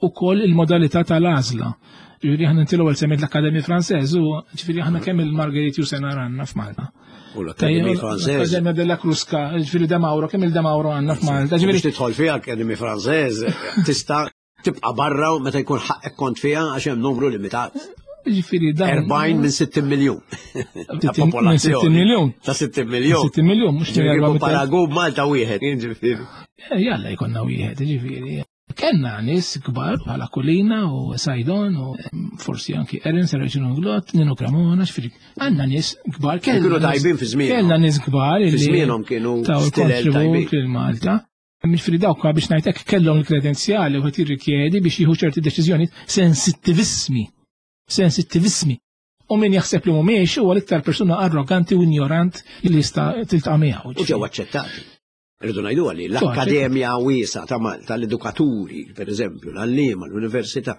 S2: u koll il-modalità tal-għażla. Ġifieri aħna inti l-ewwel semmejt l-Akkademja Franċeż u ġifieri aħna kemm il-Marguerite Yourcenar għandna f'Malta.
S1: U l-Akkademja Franċeż.
S2: L-Akkademja della Crusca, ġifieri De Mauro, kemm il-De Mauro għandna f'Malta.
S1: Ġifieri tidħol fiha Akkademja Franċeż tista' tibqa' barra u meta jkun ħaqqek kont fiha għax hemm numru limitat.
S2: Ġifieri
S1: dan. 40 minn 60 miljun. Ta' popolazzjoni.
S2: 60 miljun.
S1: Ta' 60 miljun.
S2: 60 miljun, mhux
S1: Paragun Malta wieħed, ġifieri.
S2: Eh, jalla jkollna wieħed, ġifieri. Kenna nies kbar bħala Kulina u Sajdon u forsi anki Erin Saracino Glot, Nino Cremona, x'firi. Għandna nies kbar.
S1: Kienu tajbin fi żmienhom.
S2: Kellna nies kbar.
S1: Fi żmienhom kienu stilel tajbin.
S2: Malta. Mhix dawk biex ngħidlek kellhom il-kredenzjali u qed jirrikjedi biex jieħu ċerti deċiżjoni sensittivissimi. Sensittivissimi. U min jaħseb li mhumiex huwa l-iktar persuna arroganti u ignorant li jista' tiltaqa' miegħu.
S1: U ġew aċċettati. Rridu ngħidu li l-Akkademja wiesa ta' Malta, l-edukaturi, per eżempju, l-għalliema, l-università,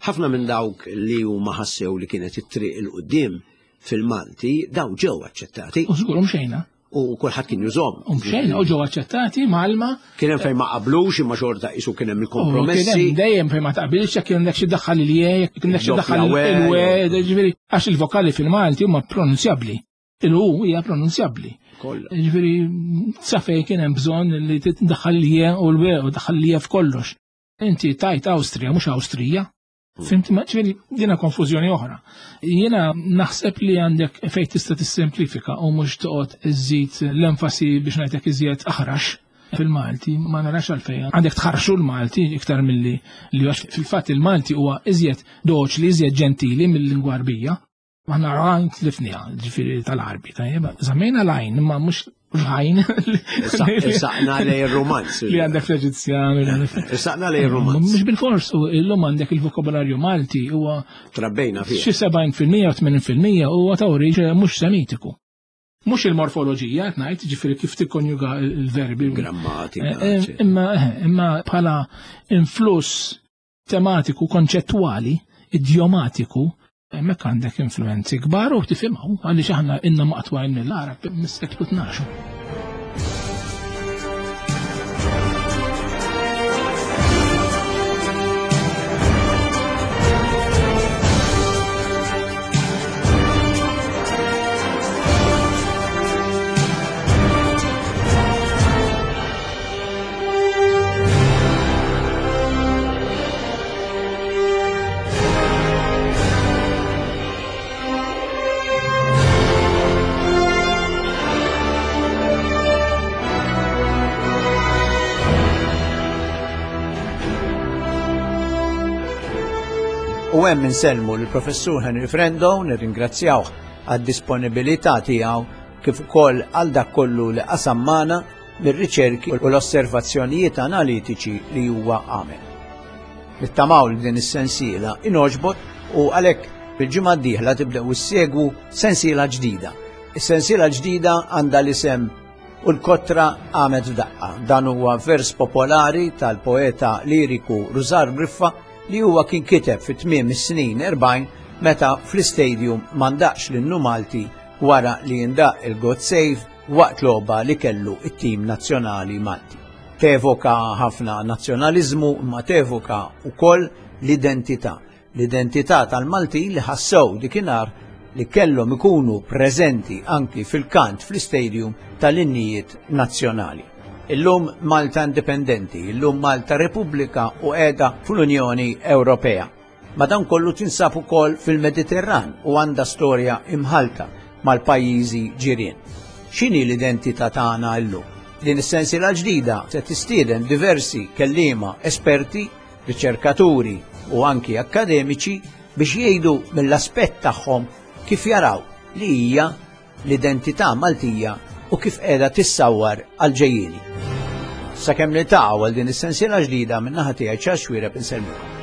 S1: ħafna minn dawk li huma ħassew li kienet it-triq il qudiem fil-Malti, daw ġew aċċettati.
S2: U żgur xejna.
S1: U kulħadd kien jużhom.
S2: U mxejna u ġew aċċettati malma.
S1: Kien hemm fejn ma qablux imma xorta qisu kien hemm il-kompromessi.
S2: Kien hemm dejjem fejn ma taqbilx jekk kien xi daħħal il-je, jekk kien xi daħħal il-we, ġifieri għax il-vokali fil-Malti huma pronunzjabbli. Il-u hija pronunzjabbli. Ġifieri sa fejn kien hemm bżonn li tiddaħħal l-je u l-we u daħħal l-je f'kollox. Inti tajt Awstrija mhux Awstrija. Hmm. Fimt ma ġifieri dina konfużjoni oħra. Jiena naħseb li għandek fejn tista' tissimplifika u mhux toqgħod iżżid l-enfasi biex ngħidlek iżjed aħrax fil-Malti ma narax għalfejn. Għandek tħarxu l-Malti iktar milli li għax fil-fatt il-Malti huwa iżjed doċli, iżjed ġentili mill-lingwa Arbija. Aħna għajn tlifniha, ġifieri tal-Arbi, tajjeb. Żammejna l-għajn, imma mhux l-għajn.
S1: Saqna lej il-romanz.
S2: Li għandek l-Eġizzjan.
S1: Saqna lej il-romanz.
S2: Mhux bil-fors, u illum għandek il-vokabularju Malti huwa.
S1: Trabbejna
S2: fih. Xi 70% u 80% huwa ta' oriġine mhux semitiku. Mhux il-morfoloġija qed ngħid, ġifieri kif tikkonjuga l-verbi.
S1: Grammatika.
S2: Eh, eh, imma eh, imma bħala influss tematiku konċettwali, idjomatiku, hemmhekk għandek influenzi kbar u tifhimhom għaliex aħna inna maqtwajn mill-Arab mis-seklu 12.
S1: U hemm insellmu l-Professur Henry Frendo, nirringrazzjawh għad-disponibilità tiegħu kif ukoll għal dak kollu li qasam magħna. mir-riċerki u l-osservazzjonijiet analitiċi li huwa għamel. Nittamaw li din is-sensiela inogħġbot u għalhekk bil-ġimgħa d-dieħla tibdew issegwu sensiela ġdida. Is-sensiela ġdida għandha l-isem U l-kotra qamet f'daqqa. Dan huwa vers popolari tal-poeta liriku Rużar Griffa li huwa kien kiteb fi tmiem is-snin 40 meta fl-istadium ma ndaqx l-innu Malti wara li jindaq il-God Save waqt logħba li kellu it-tim nazzjonali Malti. Tevoka ħafna nazzjonaliżmu imma tevoka wkoll l-identità. L-identità tal-Maltin li ħassew dikinhar li kellhom ikunu preżenti anki fil-kant fl-istadium tal-innijiet nazzjonali. Illum Malta indipendenti, illum Malta Repubblika u qiegħda fl-Unjoni Ewropea. Madankollu tinsab ukoll fil-Mediterran u għandha storja imħalta mal-pajjiżi ġirien. X'inhi l-identità tagħna llum? Din is-sensiela ġdida se tistieden diversi kelliema esperti, riċerkaturi u anki akkademiċi biex jgħidu mill-aspett tagħhom kif jaraw li hija l-identità Maltija u kif qiegħda tissawwar għall-ġejjieni. Sakemm niltaqgħu għal din is-sensiela ġdida min-naħa tiegħi Charles Xuereb insellmilkom.